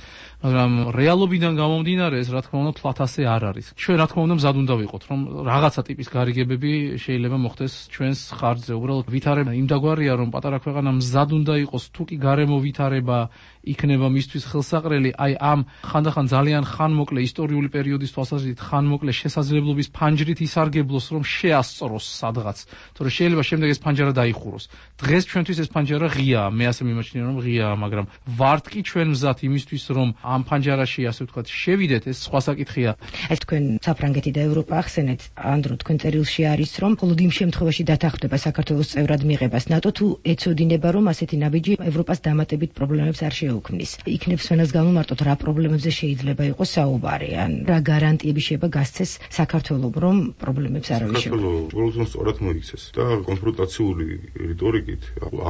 მაგრამ რეალობიდან გამომდინარე ეს რა თქმა უნდა თვალთ ასე არ არის. ჩვენ რა თქმა უნდა მზად უნდა ვიყოთ, რომ რაღაცა ტიპის გარიგებები შეიძლება მოხდეს ჩვენს ხარჯზე. უბრალოდ ვითარება იმდაგვარია, რომ პატარა ქვეყანა მზად უნდა იყოს, თუ კი გარემო ვითარება იქნება მისთვის ხელსაყრელი, აი ამ ხანდახან ძალიან ხანმოკლე ისტორიული პერიოდის თვალსაზრისით ხანმოკლე შესაძლებლობის ფანჯრით ისარგებლოს, რომ შეასწროს სადღაც. თორე შეიძლება შემდეგ ეს ფანჯარა დაიხუროს. დღეს ჩვენთვის ეს ფანჯარა ღიაა, მე ასე მიმაჩნია, რომ ღიაა, მაგრამ ვართ კი ჩვენ მზად იმისთვის, რომ ამ ფანჯარაში, ასე ვთქვათ, შევიდეთ, ეს სხვა საკითხია. ეს თქვენ საფრანგეთი და ევროპა ახსენეთ, ანდრო, თქვენ წერილში არის, რომ მხოლოდ იმ შემთხვევაში დათანხმდება საქართველოს წევრად მიღებას ნატო, თუ ეცოდინება, რომ ასეთი ნაბიჯი ევროპას დამატებით პრობლემებს არ შეუქმნის. იქნებს ვენას გამომარტოთ, რა პრობლემებზე შეიძლება იყოს საუბარი, ან რა გარანტიები შეიძლება გასცეს საქართველოს, რომ პრობლემებს არ აღიშვება. საქართველოს უბრალოდ სწორად მოიქცეს და კონფრონტაციული რიტორიკით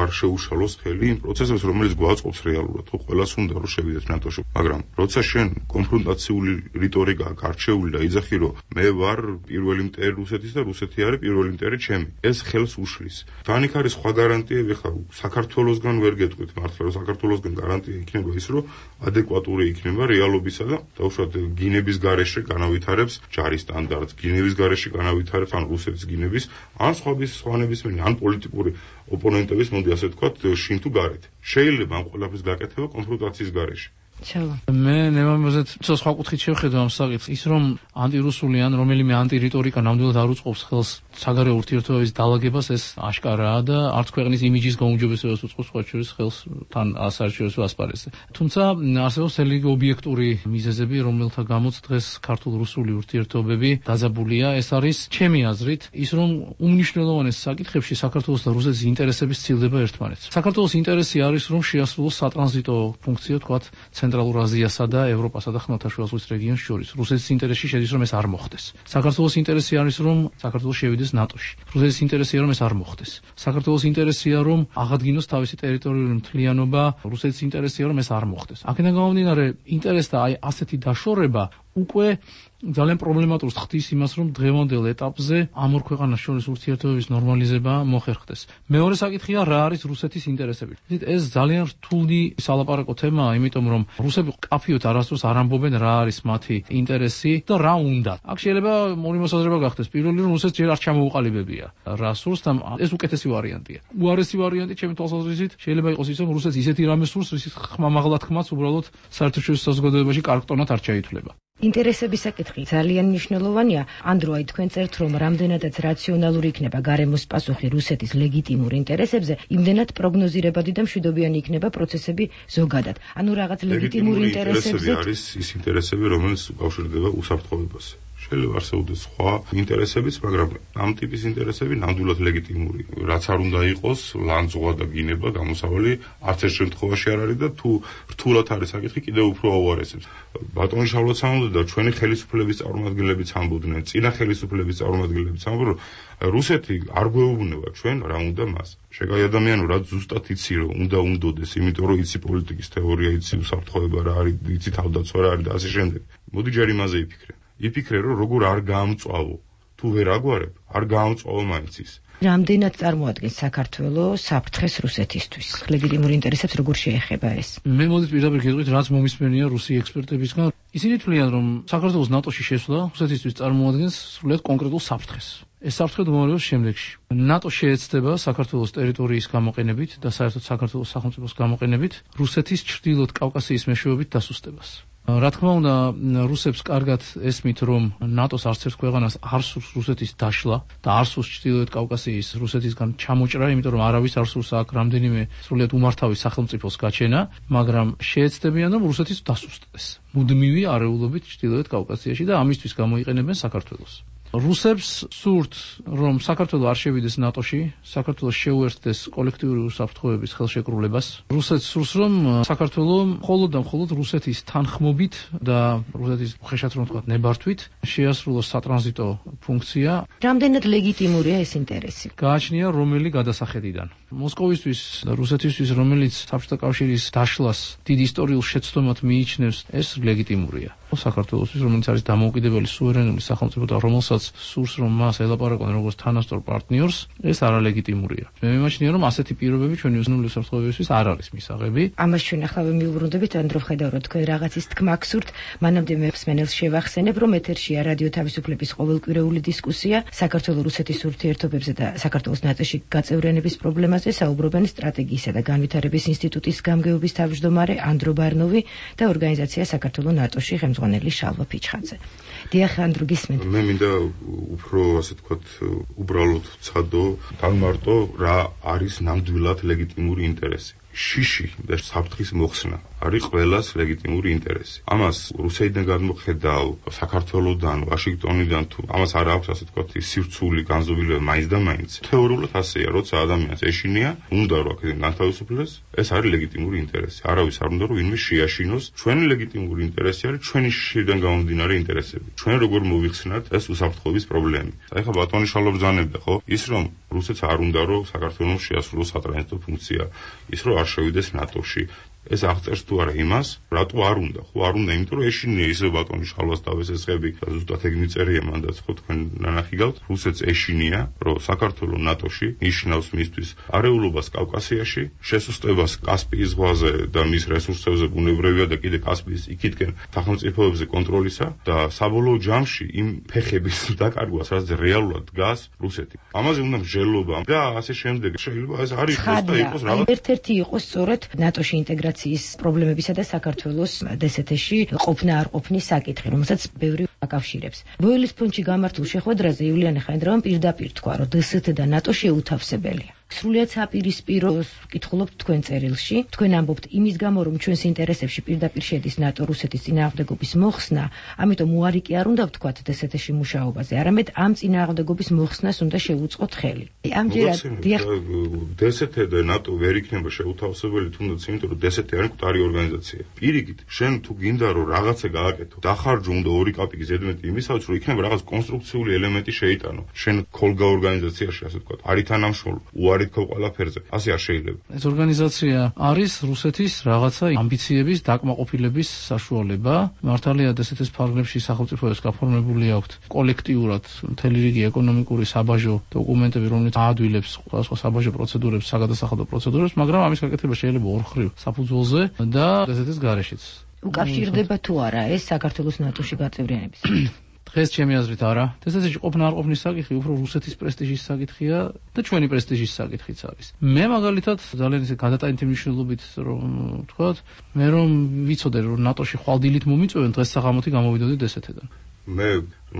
არ შეუშალოს ხელი იმ პროცესებს, რომელიც გვაწყობს რეალურად. ხო, ყველას უნდა რომ შევიდეთ ნატოში, მაგრამ როცა შენ კონფრონტაციული რიტორიკა გარჩეული და იძახი, რომ მე ვარ პირველი მტერი რუსეთის და რუსეთი არის პირველი მტერი ჩემი, ეს ხელს უშლის. თან იქ არის სხვა გარანტიები, ხა საქართველოსგან ვერ გეტყვით მართლა, რომ საქართველოსგან გარანტია იქნება ის, რომ ადეკვატური იქნება რეალობისა და დაუშვათ გინების გარეშე განავითარებს ჯარის სტანდარტს, გინების გარეშე განავითარებს ან რუსეთის გინების, ან სხვანებისმიერი, ან პოლიტიკური ოპონენტების, მოდი ასე ვთქვათ, შინ თუ გარეთ. შეიძლება ამ ყველაფრის გაკეთება კონფრონტაციის გარეშე. მე ნებამოზეთ სხვა კუთხით შევხედო ამ საკითხს, ის რომ ანტირუსული ან რომელიმე ანტირიტორიკა ნამდვილად არ უწყობს ხელს საგარეო ურთიერთობების დალაგებას, ეს აშკარაა და არც ქვეყნის იმიჯის გაუმჯობესებას უწყობს, სხვა შორის ხელს თან საერთაშორისო ასპარეზზე. თუმცა არსებობს ძალიან ობიექტური მიზეზები, რომელთა გამოც დღეს ქართულ-რუსული ურთიერთობები დაძაბულია. ეს არის ჩემი აზრით ის, რომ უმნიშვნელოვანეს საკითხებში საქართველოს და რუსეთის ინტერესები სცილდება ერთმანეთს. საქართველოს ინტერესი არის, რომ შეასრულოს სატრანზიტო ფუნქცია, თქვათ, ცენტრალურ აზიასა და ევროპასა და ხმელთაშუა ზღვის რეგიონს შორის. რუსეთის ინტერესში შედის, რომ ეს არ მოხდეს. საქართველოს ინტერესი არის, რომ საქართველოს შევიდეს ნატოში. რუსეთის ინტერესია, რომ ეს არ მოხდეს. საქართველოს ინტერესია, რომ აღადგინოს თავისი ტერიტორიული მთლიანობა. რუსეთის ინტერესია, რომ ეს არ მოხდეს. აქედან გამომდინარე, ინტერესთა აი ასეთი დაშორება უკვე ძალიან პრობლემატურს ხდის იმას, რომ დღევანდელ ეტაპზე ამ ორ ქვეყანას შორის ურთიერთობების ნორმალიზება მოხერხდეს. მეორე საკითხია, რა არის რუსეთის ინტერესები. ეს ძალიან რთული სალაპარაკო თემაა, იმიტომ რომ რუსები კაფიოთ არასდროს არ ამბობენ რა არის მათი ინტერესი და რა უნდა. აქ შეიძლება ორი მოსაზრება გახდეს. პირველი, რომ რუსეთს ჯერ არ ჩამოუყალიბებია რა სურს და ეს უკეთესი ვარიანტია. უარესი ვარიანტი ჩემი თვალსაზრისით შეიძლება იყოს ის, რომ რუსეთს ისეთი რამე სურს, რის ხმამაღლა თქმაც უბრალოდ საერთაშორისო საზოგადოებაში კარგტონად არ ჩაითვლება. ინტერესების საკითხი ძალიან მნიშვნელოვანია. ანდრო, აი თქვენ წერთ, რომ რამდენადაც რაციონალური იქნება გარემოს პასუხი რუსეთის ლეგიტიმურ ინტერესებზე, იმდენად პროგნოზირებადი და მშვიდობიანი იქნება პროცესები ზოგადად. ანუ რაღაც ლეგიტიმურ ინტერესებზე არის ის ინტერესები, რომელიც უკავშირდება უსაფრთხოებას. შეიძლება არსებობდეს სხვა ინტერესებიც, მაგრამ ამ ტიპის ინტერესები ნამდვილად ლეგიტიმური. რაც არ უნდა იყოს, ლანძღვა და გინება გამოსავალი არც ერთ შემთხვევაში არ არის და თუ რთულად არის საკითხი, კიდევ უფრო აუარესებს. ბატონი შავლოც ამბობდა და ჩვენი ხელისუფლების წარმომადგენლებიც ამბობდნენ, წინა ხელისუფლების წარმომადგენლებიც ამბობდნენ, რუსეთი არ გვეუბნება ჩვენ რა უნდა მას. შეგაი ადამიანო, რაც ზუსტად იცი რომ უნდა უნდოდეს, იმიტომ რომ იცი პოლიტიკის თეორია, იცი უსაფრთხოება რა არის, იცი თავდაცვა რა არის და ასე შემდეგ. მოდი ჯერ იმაზე იფიქრე. იფიქრე, რომ როგორ არ გაამწვავო. თუ ვერ აგვარებ, არ გაამწვავო მაინც ის. რამდენად წარმოადგენს საქართველოს საფრთხეს რუსეთისთვის? ლეგიტიმურ ინტერესებს როგორ შეეხება ეს? მე მოდით პირდაპირ გეტყვით, რაც მომისმენია რუსი ექსპერტებისგან. ისინი თვლიან, რომ საქართველოს ნატოში შესვლა რუსეთისთვის წარმოადგენს სრულიად კონკრეტულ საფრთხეს. ეს საფრთხე მომარევს შემდეგში. ნატო შეეცდება საქართველოს ტერიტორიის გამოყენებით და საერთოდ საქართველოს სახელმწიფოს გამოყენებით რუსეთის ჩრდილოეთ კავკასიის მეშვეობით დასუსტებას. რა თქმა უნდა, რუსებს კარგად ესმით, რომ ნატოს არც ერთ ქვეყანას არ სურს რუსეთის დაშლა და არ სურს ჩრდილოეთ კავკასიის რუსეთისგან ჩამოჭრა, იმიტომ რომ არავის არ სურს აქ რამდენიმე სრულიად უმართავი სახელმწიფოს გაჩენა, მაგრამ შეეცდებიან, რომ რუსეთის დასუსტდეს მუდმივი არეულობით ჩრდილოეთ კავკასიაში და ამისთვის გამოიყენებენ საქართველოს. რუსებს სურთ, რომ საქართველო არ შევიდეს ნატოში, საქართველოს შეუერთდეს კოლექტიური უსაფრთხოების ხელშეკრულებას. რუსეთს სურს, რომ საქართველო მხოლოდ და მხოლოდ რუსეთის თანხმობით და რუსეთის ხეშად რომ თქვა ნებართვით შეასრულოს სატრანზიტო ფუნქცია. რამდენად ლეგიტიმურია ეს ინტერესი? გააჩნია რომელი გადასახედიდან. მოსკოვისთვის და რუსეთისთვის, რომელიც საბჭოთა კავშირის დაშლას დიდ ისტორიულ შეცდომად მიიჩნევს, ეს ლეგიტიმურია. საქართველოსთვის, რომელიც არის დამოუკიდებელი სუვერენული სახელმწიფო და რომელსაც სურს რომ მას ელაპარაკონ როგორც თანასწორ პარტნიორს, ეს არალეგიტიმურია. მე მიმაჩნია რომ ასეთი პირობები ჩვენი უზრუნველყოფილი უსაფრთხოებისთვის არ არის მისაღები. ამას ჩვენ ახლა მიუბრუნდებით, ანდრო ხედავთ თქვენ რაღაცის თქმა გსურთ, მანამდე მე მსმენელს შევახსენებ, რომ ეთერშია რადიო თავისუფლების ყოველკვირეული დისკუსია საქართველოს-რუსეთის ურთიერთობებზე და საქართველოს ნატოში გაწევრიანების პრობლემაზე საუბრობენ სტრატეგიისა და განვითარების ინსტიტუტის გამგეობის თავმჯდომარე ანდრო ბარნოვი და ორგანიზაცია საქართველოს ნატოში ხელმძღვანელი შალვა ფიჩხაძე. დიახ, ანდრო, გისმენთ. მე მინდა უფრო ასე თქვათ უბრალოდ ვცადო, დავმარტო რა არის ნამდვილად ლეგიტიმური ინტერესი. შიში და საფრთხის მოხსნა არის ყველას ლეგიტიმური ინტერესი. ამას რუსეთიდან გადმოხედავ, საქართველოსდან, ვაშინგტონიდან თუ ამას არ აქვს ასე თქვათ სირცული განზომილება მაინც და მაინც. თეორიულად ასეა, როცა ადამიანს ეშინია, უნდა რომ აქედან განთავისუფლდეს, ეს არის ლეგიტიმური ინტერესი. არავის არ უნდა რომ ვინმე შეაშინოს. ჩვენი ლეგიტიმური ინტერესი არის ჩვენი შიშიდან გამომდინარე ინტერესები. ჩვენ როგორ მოვიხსნათ ეს უსაფრთხოების პრობლემები. აი ხა ბატონი შალვა ბრძანებდა, ხო? ის რომ რუსეთს არ უნდა რომ საქართველოს შეასრულოს სატრანზიტო ფუნქცია, ის რომ არ შევიდეს ნატოში. ეს აღწერს თუ არა იმას, რატო არ უნდა? ხო არ უნდა, იმიტომ რომ ეშინია ისე ბატონი შალვას დავესესხები და ზუსტად ეგ მიწერია მანდაც ხო თქვენ ნანახი გავთ, რუსეთს ეშინია, რომ საქართველოს ნატოში ნიშნავს მისთვის არეულობას კავკასიაში, შესუსტებას კასპიის ზღვაზე და მის რესურსებზე ბუნებრივია და კიდე კასპიის იქითკენ სახელმწიფოებზე კონტროლისა და საბოლოო ჯამში იმ ფეხების დაკარგვას, რაც რეალურად დგას რუსეთი. ამაზე უნდა მსჯელობა და ასე შემდეგ. შეიძლება ეს არ იყოს და იყოს რაღაც ერთ-ერთი იყოს სწორედ ნატოში ინტეგრაცია პრობლემებისა და საქართველოს DST-ში ყოფნა არ ყოფნის საკითხი, რომელსაც ბევრი აკავშირებს. ბოილის ფონდში გამართულ შეხვედრაზე იულიანე ხაინდრავამ პირდაპირ თქვა, რომ DST და ნატო შეუთავსებელია. სრულიად საპირისპირო ვკითხულობთ თქვენ წერილში, თქვენ ამბობთ იმის გამო, რომ ჩვენს ინტერესებში პირდაპირ შედის ნატო რუსეთის წინააღმდეგობის მოხსნა, ამიტომ უარი კი არ უნდა ვთქვათ DST-ში მუშაობაზე, არამედ ამ წინააღმდეგობის მოხსნას უნდა შევუწყოთ ხელი. ამჯერად DST და ნატო ვერ იქნება შეუთავსებელი, თუნდაც იმიტომ, რომ DST არის მკვდარი ორგანიზაცია. პირიქით, შენ თუ გინდა რომ რაღაცა გააკეთო, დახარჯო უნდა 2 კაპიკი ზედმეტი იმისათვის, რომ იქნება რაღაც კონსტრუქციული ელემენტი შეიტანო. შენ ქოლგა ორგანიზაციაში, ასე ვთქვათ, არის თანამშრომლო, უარი თქო ყველაფერზე. ასე არ შეიძლება. ეს ორგანიზაცია არის რუსეთის რაღაცა ამბიციების დაკმაყოფილების საშუალება. მართალია DST-ის ფარგლებში სახელმწიფოებს გაფორმებული აქვთ კოლექტიურად მთელი რიგი ეკონომიკური საბაჟო დოკუმენტები, რომელიც აადვილებს სხვადასხვა საბაჟო პროცედურებს, საგადასახადო პროცედურებს, მაგრამ ამის გაკეთება შეიძლება ორხრივ საფუძველზე და DST-ის გარეშეც. უკავშირდება თუ არა ეს საქართველოს ნატოში გაწევრიანების? დღეს ჩემი აზრით არა. DST-ში ყოფნა არ ყოფნის საკითხი უფრო რუსეთის პრესტიჟის საკითხია და ჩვენი პრესტიჟის საკითხიც არის. მე მაგალითად ძალიან ისე გადატანითი მნიშვნელობით რომ ვთქვათ, მე რომ ვიცოდე რომ ნატოში ხვალდილით მომიწვევენ, დღეს საღამოთი გამოვიდოდი DST-დან. მე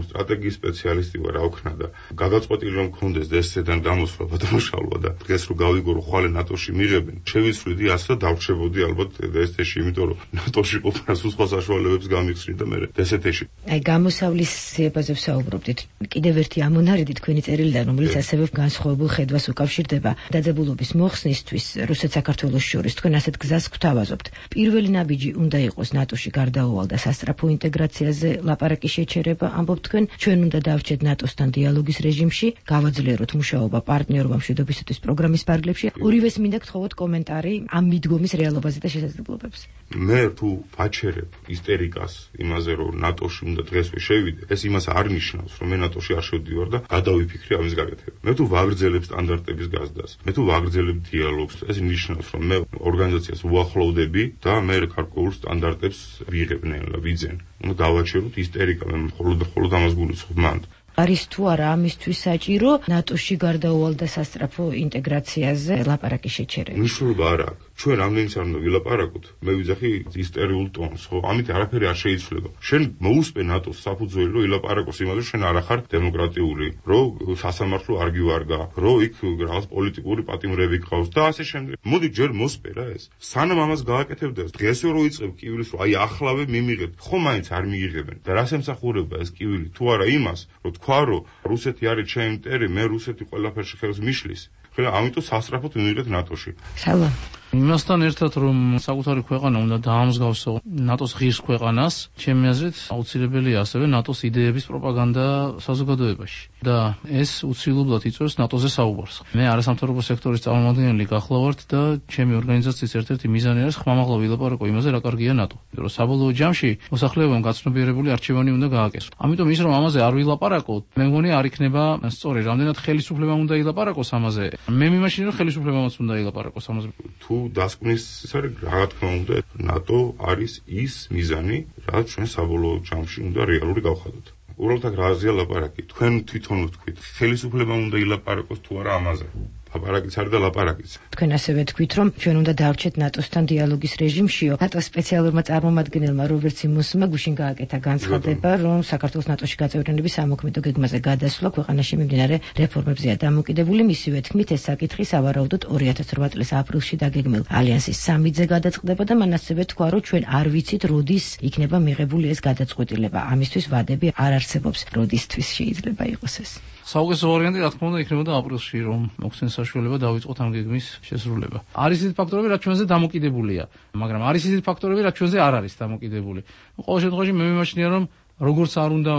სტრატეგიის სპეციალისტი ვარ, აუქნა და გადაწყვეტილი რომ მქონდეს DST-დან დამოსვლა ბატონშალვა და დღეს რომ გავიგო რომ ხვალე ნატოში მიღებენ, შევიცვლიდი ასე და დავრჩებოდი ალბათ DST-ში, იმიტომ რომ ნატოში ყოფნას სხვა საშუალებებს გამიხსნი და მე DST-ში. აი გამოსავლის სიებაზე ვსაუბრობდით. კიდევ ერთი ამონარიდი თქვენი წერილიდან, რომელიც ასევე განსხვავებულ ხედვას უკავშირდება დაძაბულობის მოხსნისთვის რუსეთ-საქართველოს შორის, თქვენ ასეთ გზას გვთავაზობთ. პირველი ნაბიჯი უნდა იყოს ნატოში გარდაუვალ და სასწრაფო ინტეგრაციაზე ლაპარაკი შეჩერება, ამბობთ თქვენ, ჩვენ უნდა დავრჩეთ ნატოსთან დიალოგის რეჟიმში, გავაძლიეროთ მუშაობა პარტნიორობა მშვიდობისათვის პროგრამის ფარგლებში. ორივეს მინდა გთხოვოთ კომენტარი ამ მიდგომის რეალობაზე და შესაძლებლობებზე. მე თუ ვაჩერებ ისტერიკას იმაზე, რომ ნატოში უნდა დღესვე შევიდე, ეს იმას არ ნიშნავს, რომ მე ნატოში არ შევდივარ და გადავიფიქრე ამის გაკეთება. მე თუ ვაგრძელებ სტანდარტების გაზრდას, მე თუ ვაგრძელებ დიალოგს, ეს ნიშნავს, რომ მე ორგანიზაციას უახლოვდები და მე გარკვეულ სტანდარტებს ვიღებ ნელა, ვიძენ. უნდა დავაჩეროთ ისტერიკა, მე მხოლოდ ამას გულისხმობ მანდ. არის თუ არა ამისთვის საჭირო ნატოში გარდაუვალ და სასწრაფო ინტეგრაციაზე ლაპარაკი შეჩერება? მნიშვნელობა არ აქვს. ჩვენ რამდენიც არ უნდა ვილაპარაკოთ, მე ვიძახი ისტორიულ ტონს, ხო? ამით არაფერი არ შეიცვლება. შენ მოусპე ნატოს საფუძველი, რომ ილაპარაკოს იმაზე, შენ არ ახარ დემოკრატიული, რომ სასამართლო არ გივარგა, რომ იქ რაღაც პოლიტიკური პატიმრები გყავს და ასე შემდეგ. მოდი ჯერ მოსპე რა ეს. სანამ ამას გააკეთებდეს, დღესვე რო იწყებ კივილის, რომ აი ახლავე მიმიღებ, ხო მაინც არ მიიღებენ. და რას ემსახურება ეს კივილი? თუ არა იმას, რომ თქვა, რომ რუსეთი არის ჩემი მტერი, მე რუსეთი ყველაფერში ხელს მიშლის. ხოლო ამიტომ სასწრაფოდ მივიღეთ ნატოში. სალამ. იმასთან ერთად რომ საკუთარი ქვეყანა უნდა დაამსგავსო ნატოს ღირს ქვეყანას, ჩემი აზრით აუცილებელია ასევე ნატოს იდეების პროპაგანდა საზოგადოებაში და ეს უცილებლად იწვევს ნატოზე საუბარს. მე არასამთავრობო სექტორის წარმომადგენელი გახლავართ და ჩემი ორგანიზაციის ერთ-ერთი მიზანი არის ხმამაღლა ვილაპარაკო იმაზე, რა კარგია ნატო. რომ საბოლოო ჯამში მოსახლეობამ გაცნობიერებული არჩევანი უნდა გააკეთოს. ამიტომ ის რომ ამაზე არ ვილაპარაკოთ, მე მგონი არ იქნება სწორი. რამდენად ხელისუფლებამ უნდა ილაპარაკოს ამაზე. მე მიმაჩნია რომ ხელისუფლებამაც უნდა ილაპარაკოს ამაზე. თუ დასკვნის ის არის, რა თქმა უნდა, ნატო არის ის მიზანი, რაც ჩვენ საბოლოო ჯამში უნდა რეალური გავხადოთ. უბრალოდ აქ რაზეა ლაპარაკი? თქვენ თვითონ ვთქვით, ხელისუფლებამ უნდა ილაპარაკოს თუ არა ამაზე. ლაპარაკიც არის და ლაპარაკიც. თქვენ ასევე თქვით, რომ ჩვენ უნდა დავრჩეთ ნატოსთან დიალოგის რეჟიმშიო. ნატოს სპეციალურმა წარმომადგენელმა რობერტ სიმონსმა გუშინ გააკეთა განცხადება, რომ საქართველოს ნატოში გაწევრიანების ამოქმედო გეგმაზე გადასვლა ქვეყანაში მიმდინარე რეფორმებზეა დამოკიდებული. მისივე თქმით, ეს საკითხი სავარაუდოდ 2008 წლის აპრილში დაგეგმილ ალიანსის სამიტზე გადაწყდება და მან ასევე თქვა, რომ ჩვენ არ ვიცით, როდის იქნება მიღებული ეს გადაწყვეტილება. ამისთვის ვადები არ არსებობს. როდისთვის შეიძლება იყოს ეს? საუკეთესო ვარიანტი რა თქმა უნდა იქნებოდა აპრილში, რომ მოხსნეს საშუალება დავიწყოთ ამ გეგმის შესრულება. არის ისეთი ფაქტორები, რაც ჩვენზე დამოკიდებულია, მაგრამ არის ისეთი ფაქტორები, რაც ჩვენზე არ არის დამოკიდებული. ყოველ შემთხვევაში მე მიმაჩნია, რომ როგორც არ უნდა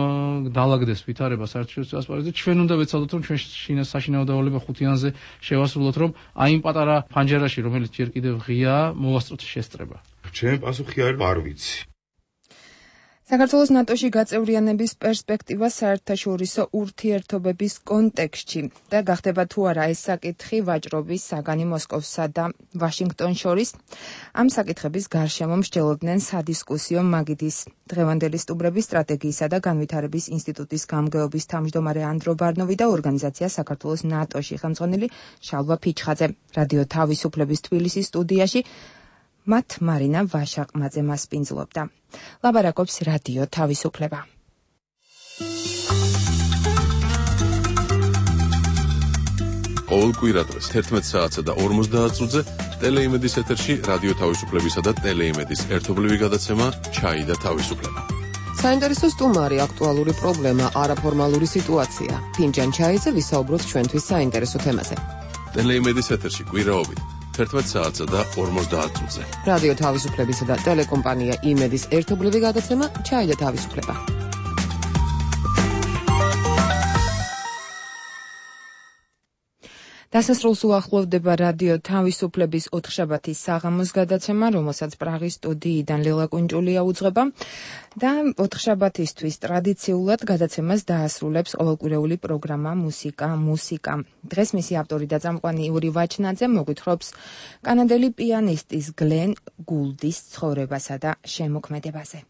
დაალაგდეს ვითარება საერთაშორისო ასპარეზზე, ჩვენ უნდა ვეცადოთ, რომ ჩვენ საშინაო დავალება ხუთიანზე შევასრულოთ, რომ აი იმ პატარა ფანჯერაში, რომელიც ჯერ კიდევ ღიაა, მოვასწროთ შესწრება. ჩემი პასუხი არის არ ვიცი. საქართველოს ნატოში გაწევრიანების პერსპექტივა საერთაშორისო ურთიერთობების კონტექსტში და გახდება თუ არა ეს საკითხი ვაჭრობის საგანი მოსკოვსა და ვაშინგტონს შორის. ამ საკითხების გარშემო მსჯელობდნენ სადისკუსიო მაგიდის დღევანდელი სტუმრები სტრატეგიისა და განვითარების ინსტიტუტის გამგეობის თავმჯდომარე ანდრო ბარნოვი და ორგანიზაცია საქართველოს ნატოში ხელმძღვანელი შალვა ფიჩხაძე. რადიო თავისუფლების თბილისის სტუდიაში მათ მარინა ვაშაყმაძე მასპინძლობდა. ლაბარაკობს რადიო თავისუფლება. ყოველ კვირადღეს 11 საათსა და 50 წუთზე ტელეიმედის ეთერში რადიო თავისუფლებისა და ტელეიმედის ერთობლივი გადაცემა ჩაი და თავისუფლება. საინტერესო სტუმარი, აქტუალური პრობლემა, არაფორმალური სიტუაცია. ფინჯან ჩაიზე ვისაუბროთ ჩვენთვის საინტერესო თემაზე. ტელეიმედის ეთერში კვირაობით 11 საათსა და 50 წუთზე. რადიო თავისუფლებისა და ტელეკომპანია იმედის ერთობლივი გადაცემა ჩაი და თავისუფლება. დასასრულს უახლოვდება რადიო თავისუფლების ოთხშაბათის საღამოს გადაცემა, რომელსაც პრაღის სტუდიიდან ლელა კუნჭულია უძღვება და ოთხშაბათისთვის ტრადიციულად გადაცემას დაასრულებს ყოველკვირეული პროგრამა მუსიკა. დღეს მისი ავტორი და წამყვანი იური ვაჩნაძე მოგვითხრობს კანადელი პიანისტის გლენ გულდის ცხოვრებასა და შემოქმედებაზე.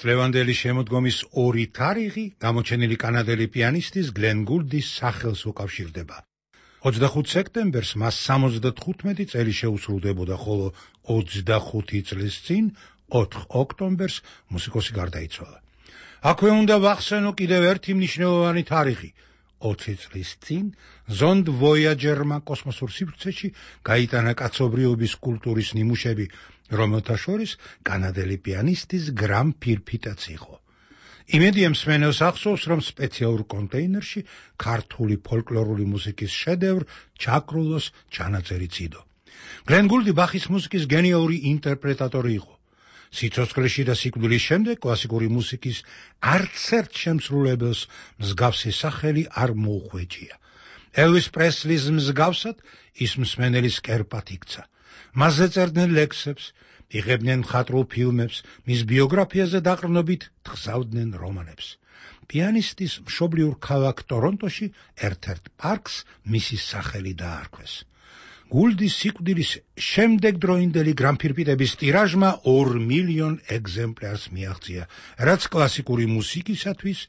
ლევანდელი შემოდგომის ორი თარიღი გამოჩენილი კანადელი პიანისტის გლენ გულდის სახელს უკავშირდება. 25 სექტემბერს მას 75 წელი შეუსრულდებოდა, ხოლო 25 წლის წინ 4 ოქტომბერს მუსიკოსი გარდაიცვალა. აქვე უნდა ვახსენო კიდევ ერთი მნიშვნელოვანი თარიღი. 20 წლის წინ ზონდ ვოიაჯერმა კოსმოსურ სივრცეში გაიტანა კაცობრიობის კულტურის ნიმუშები, რომელთა შორის კანადელი პიანისტის გრამ ფირფიტაც იყო. იმედია მსმენელს ახსოვს, რომ სპეციალურ კონტეინერში ქართული ფოლკლორული მუსიკის შედევრ ჩაკრულოს ჩანაწერიც იდო. გლენ გულდი ბახის მუსიკის გენიალური ინტერპრეტატორი იყო. სიცოცხლეში და სიკვდილის შემდეგ კლასიკური მუსიკის არცერთ შემსრულებელს მსგავსი სახელი არ მოუხვეჭია. ელვის პრესლის მსგავსად ის მსმენელის კერპად იქცა. მასზე წერდნენ ლექსებს, იღებდნენ მხატვრულ ფილმებს, მის ბიოგრაფიაზე დაყრდნობით თხზავდნენ რომანებს. პიანისტის მშობლიურ ქალაქ ტორონტოში ერთ-ერთ პარკს მისი სახელი დაარქვეს. გულდის სიკვდილის შემდეგ დროინდელი გრამფირფიტების ტირაჟმა 2 მილიონ ეგზემპლარს მიაღწია, რაც კლასიკური მუსიკისათვის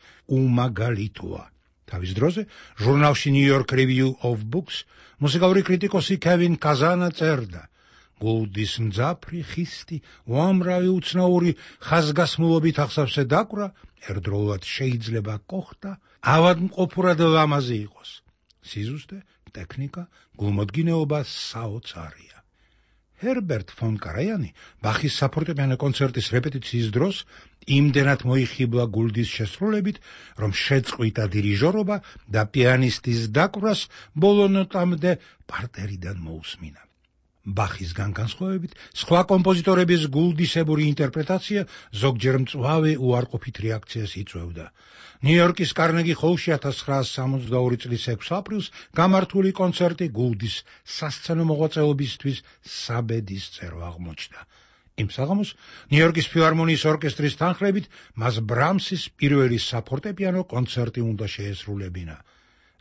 უმაგალითოა. თავის დროზე ჟურნალში New York Review of Books მუსიკალური კრიტიკოსი კევინ კაზანა წერდა: გულდის მძაფრი ხისტი უამრავი უცნაური ხაზგასმულობით ახსავსე დაკვრა ერთდროულად შეიძლება კოხტა ავადმყოფურად ლამაზი იყოს. სიზუსტე, ტექნიკა, გულმოდგინეობა საოცარია. ჰერბერტ ფონ კარაიანი ბახის საფორტეპიანო კონცერტის რეპეტიციის დროს იმდენად მოიხიბლა გულდის შესრულებით, რომ შეწყვიტა დირიჟორობა და პიანისტის დაკვრას ბოლო ნოტამდე პარტერიდან მოусმინა. ბახისგან განსხვავებით, სხვა კომპოზიტორების გულდისებური ინტერპრეტაცია ზოგჯერ მწვავე უარყოფით რეაქციას იწვევდა. ნიუ-იორკის კარნეგი ჰოლში 1962 წლის 6 აპრილს გამართული კონცერტი გულდის სასცენო მოღვაწეობისთვის საბედისწერო აღმოჩნდა. იმ საღამოს ნიუ-იორკის ფილარმონიის ორკესტრის თანხლებით მას ბრამსის პირველი საფორტეპიანო კონცერტი უნდა შეესრულებინა.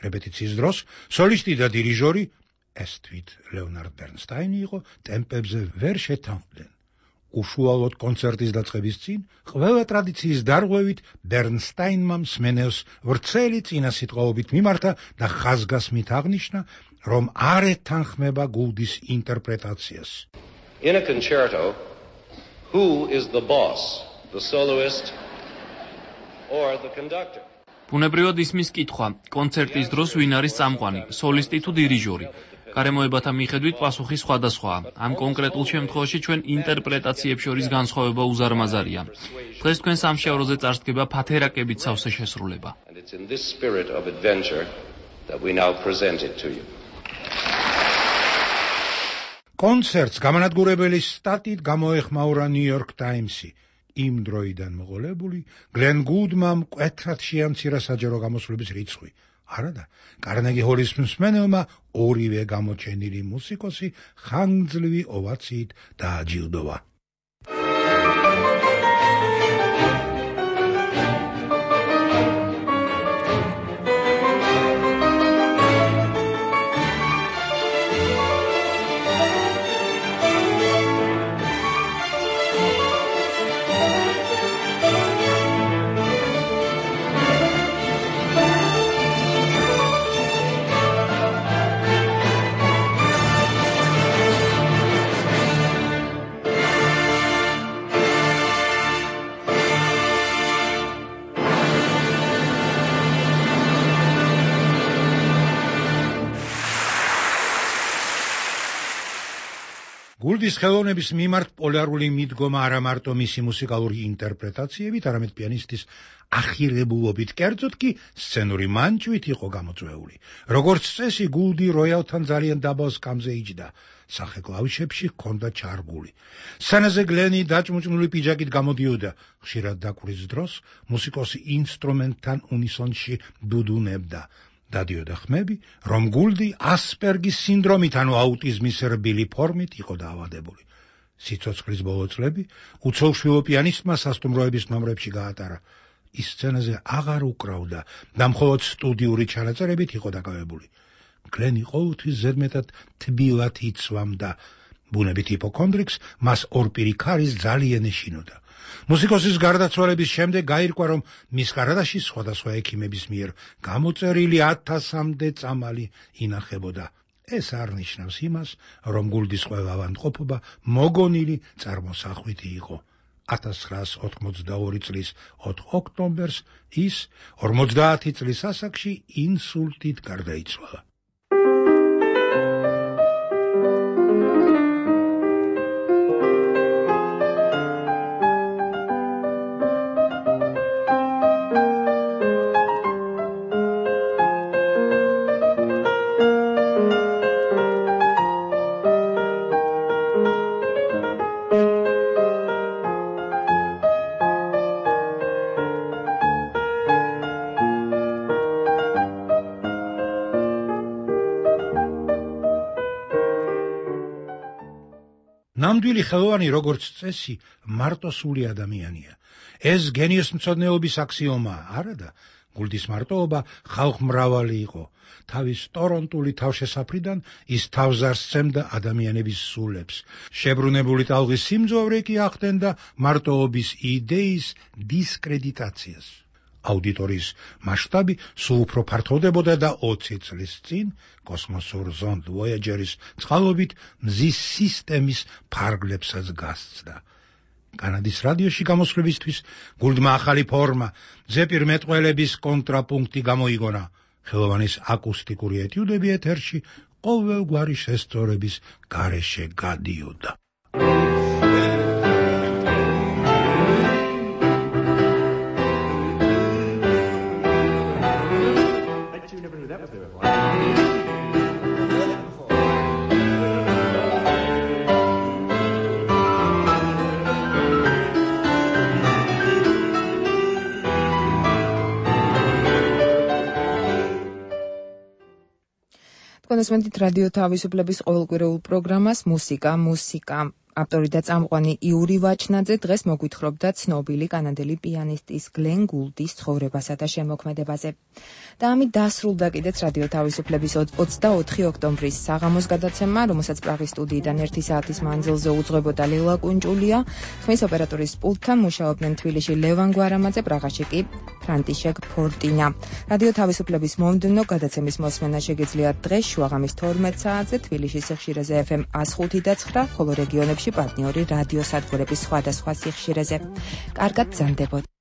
რეპეტიციის დროს სოლისტი და დირიჟორი ეს თვით ლეონარდ ბერნსტაინი იყო, ტემპებზე ვერ შეთანხმდნენ. უშუალოდ კონცერტის დაწყების წინ ყველა ტრადიციის დარღვევით ბერნსტაინმა მსმენელს ვრცელი წინასიტყვაობით მიმართა და ხაზგასმით აღნიშნა, რომ არ ეთანხმება გულდის ინტერპრეტაციას. In a concerto, who is the boss, the soloist or the conductor? ბუნებრივად ისმის კითხვა, კონცერტის დროს ვინ არის წამყვანი, სოლისტი თუ დირიჟორი? გარემოებათა მიხედვით პასუხი სხვადასხვაა. ამ კონკრეტულ შემთხვევაში ჩვენ ინტერპრეტაციებს შორის განსხვავება უზარმაზარია. დღეს თქვენ სამშაბათზე წარსდგება ფათერაკებით სავსე შესრულება. And it's in this spirit of adventure that we now present it to you. კონცერტს გამანადგურებელი სტატით გამოეხმაურა New York Times-ი. იმ დროიდან მოყოლებული გლენ გუდმა მკვეთრად შეამცირა საჯარო გამოსვლების რიცხვი. არადა, კარნეგი ჰოლის მსმენელმა ორივე გამოჩენილი მუსიკოსი ხანგრძლივი ოვაციით დააჯილდოვა. გულდის ხელოვნების მიმართ პოლარული მიდგომა არა მარტო მისი მუსიკალური ინტერპრეტაციებით, არამედ პიანისტის ახირებულობით, კერძოდ კი სცენური მანჭვით იყო გამოწვეული. როგორც წესი, გულდი როიალთან ძალიან დაბალ სკამზე იჯდა. სახე კლავიშებში ჰქონდა ჩარგული. სცენაზე გლენი დაჭმუჭნული პიჯაკით გამოდიოდა. ხშირად დაკვრის დროს მუსიკოსი ინსტრუმენტთან უნისონში დუდუნებდა. დადიოდა ხმები, რომ გულდი ასპერგის სინდრომით, ანუ აუტიზმის რბილი ფორმით იყო დაავადებული. სიცოცხლის ბოლო წლები უცოლშვილო პიანისტმა სასტუმროების ნომრებში გაატარა. ის სცენაზე აღარ უკრავდა და მხოლოდ სტუდიური ჩანაწერებით იყო დაკავებული. გლენი ყოველთვის ზედმეტად თბილად იცვამდა. ბუნებით ჰიპოქონდრიკს მას ორპირი ქარის ძალიან ეშინოდა. მუსიკოსის გარდაცვალების შემდეგ გაირკვა, რომ მის კარადაში სხვადასხვა ექიმების მიერ გამოწერილი 1000-მდე წამალი ინახებოდა. ეს არ ნიშნავს იმას, რომ გულდის ყველა ავადმყოფობა მოგონილი წარმოსახვითი იყო. 1982 წლის 4 ოქტომბერს ის 50 წლის ასაკში ინსულტით გარდაიცვალა. ნამდვილი ხელოვანი, როგორც წესი, მარტოსული ადამიანია. ეს გენიოსმცოდნეობის აქსიომაა, არადა? გულდის მარტოობა ხალხმრავალი იყო. თავის ტორონტული თავშესაფრიდან ის თავს არ სცემდა ადამიანების სულებს. შებრუნებული ტალღის სიმძლავრე კი ახდენდა მარტოობის იდეის დისკრედიტაციას. აუდიტორიის მასშტაბი სულ უფრო ფართოვდებოდა და 20 წლის წინ კოსმოსურ ზონდ Voyager-ის წყალობით მზის სისტემის ფარგლებსაც გასცდა. კანადის რადიოში გამოსვლებისთვის გულდმა ახალი ფორმა, ზეპირმეტყველების კონტრაპუნქტი გამოიგონა. ხელოვანის აკუსტიკური ეტიუდები ეთერში ყოველგვარი შესწორების გარეშე გადიოდა. კონსუმენტით რადიო თავისუფლების ყოველკვირეულ პროგრამას მუსიკა ავტორი და წამყვანი იური ვაჩნაძე დღეს მოგვითხრობდა ცნობილი კანადელი პიანისტის გლენ გულდის ცხოვრებასა და შემოქმედებაზე. და ამით დასრულდა კიდეც რადიო თავისუფლების 24 ოქტომბრის საღამოს გადაცემა, რომელსაც პრაღის სტუდიიდან 1 საათის მანძილზე უძღვებოდა ლელა კუნჭულია. ხმის ოპერატორის პულტთან მუშაობდნენ თბილისში ლევან გვარამაძე, პრაღაში კი ფრანტიშეკ ფორტინა. რადიო თავისუფლების მომდევნო გადაცემის მოსმენა შეგიძლიათ დღეს შუაღამის 12 საათზე თბილისის სიხშირეზე FM 105.9, ხოლო რეგიონებში პარტნიორი რადიო სადგურების სხვადასხვა სიხშირეზე. კარგად გრძანდებოდ.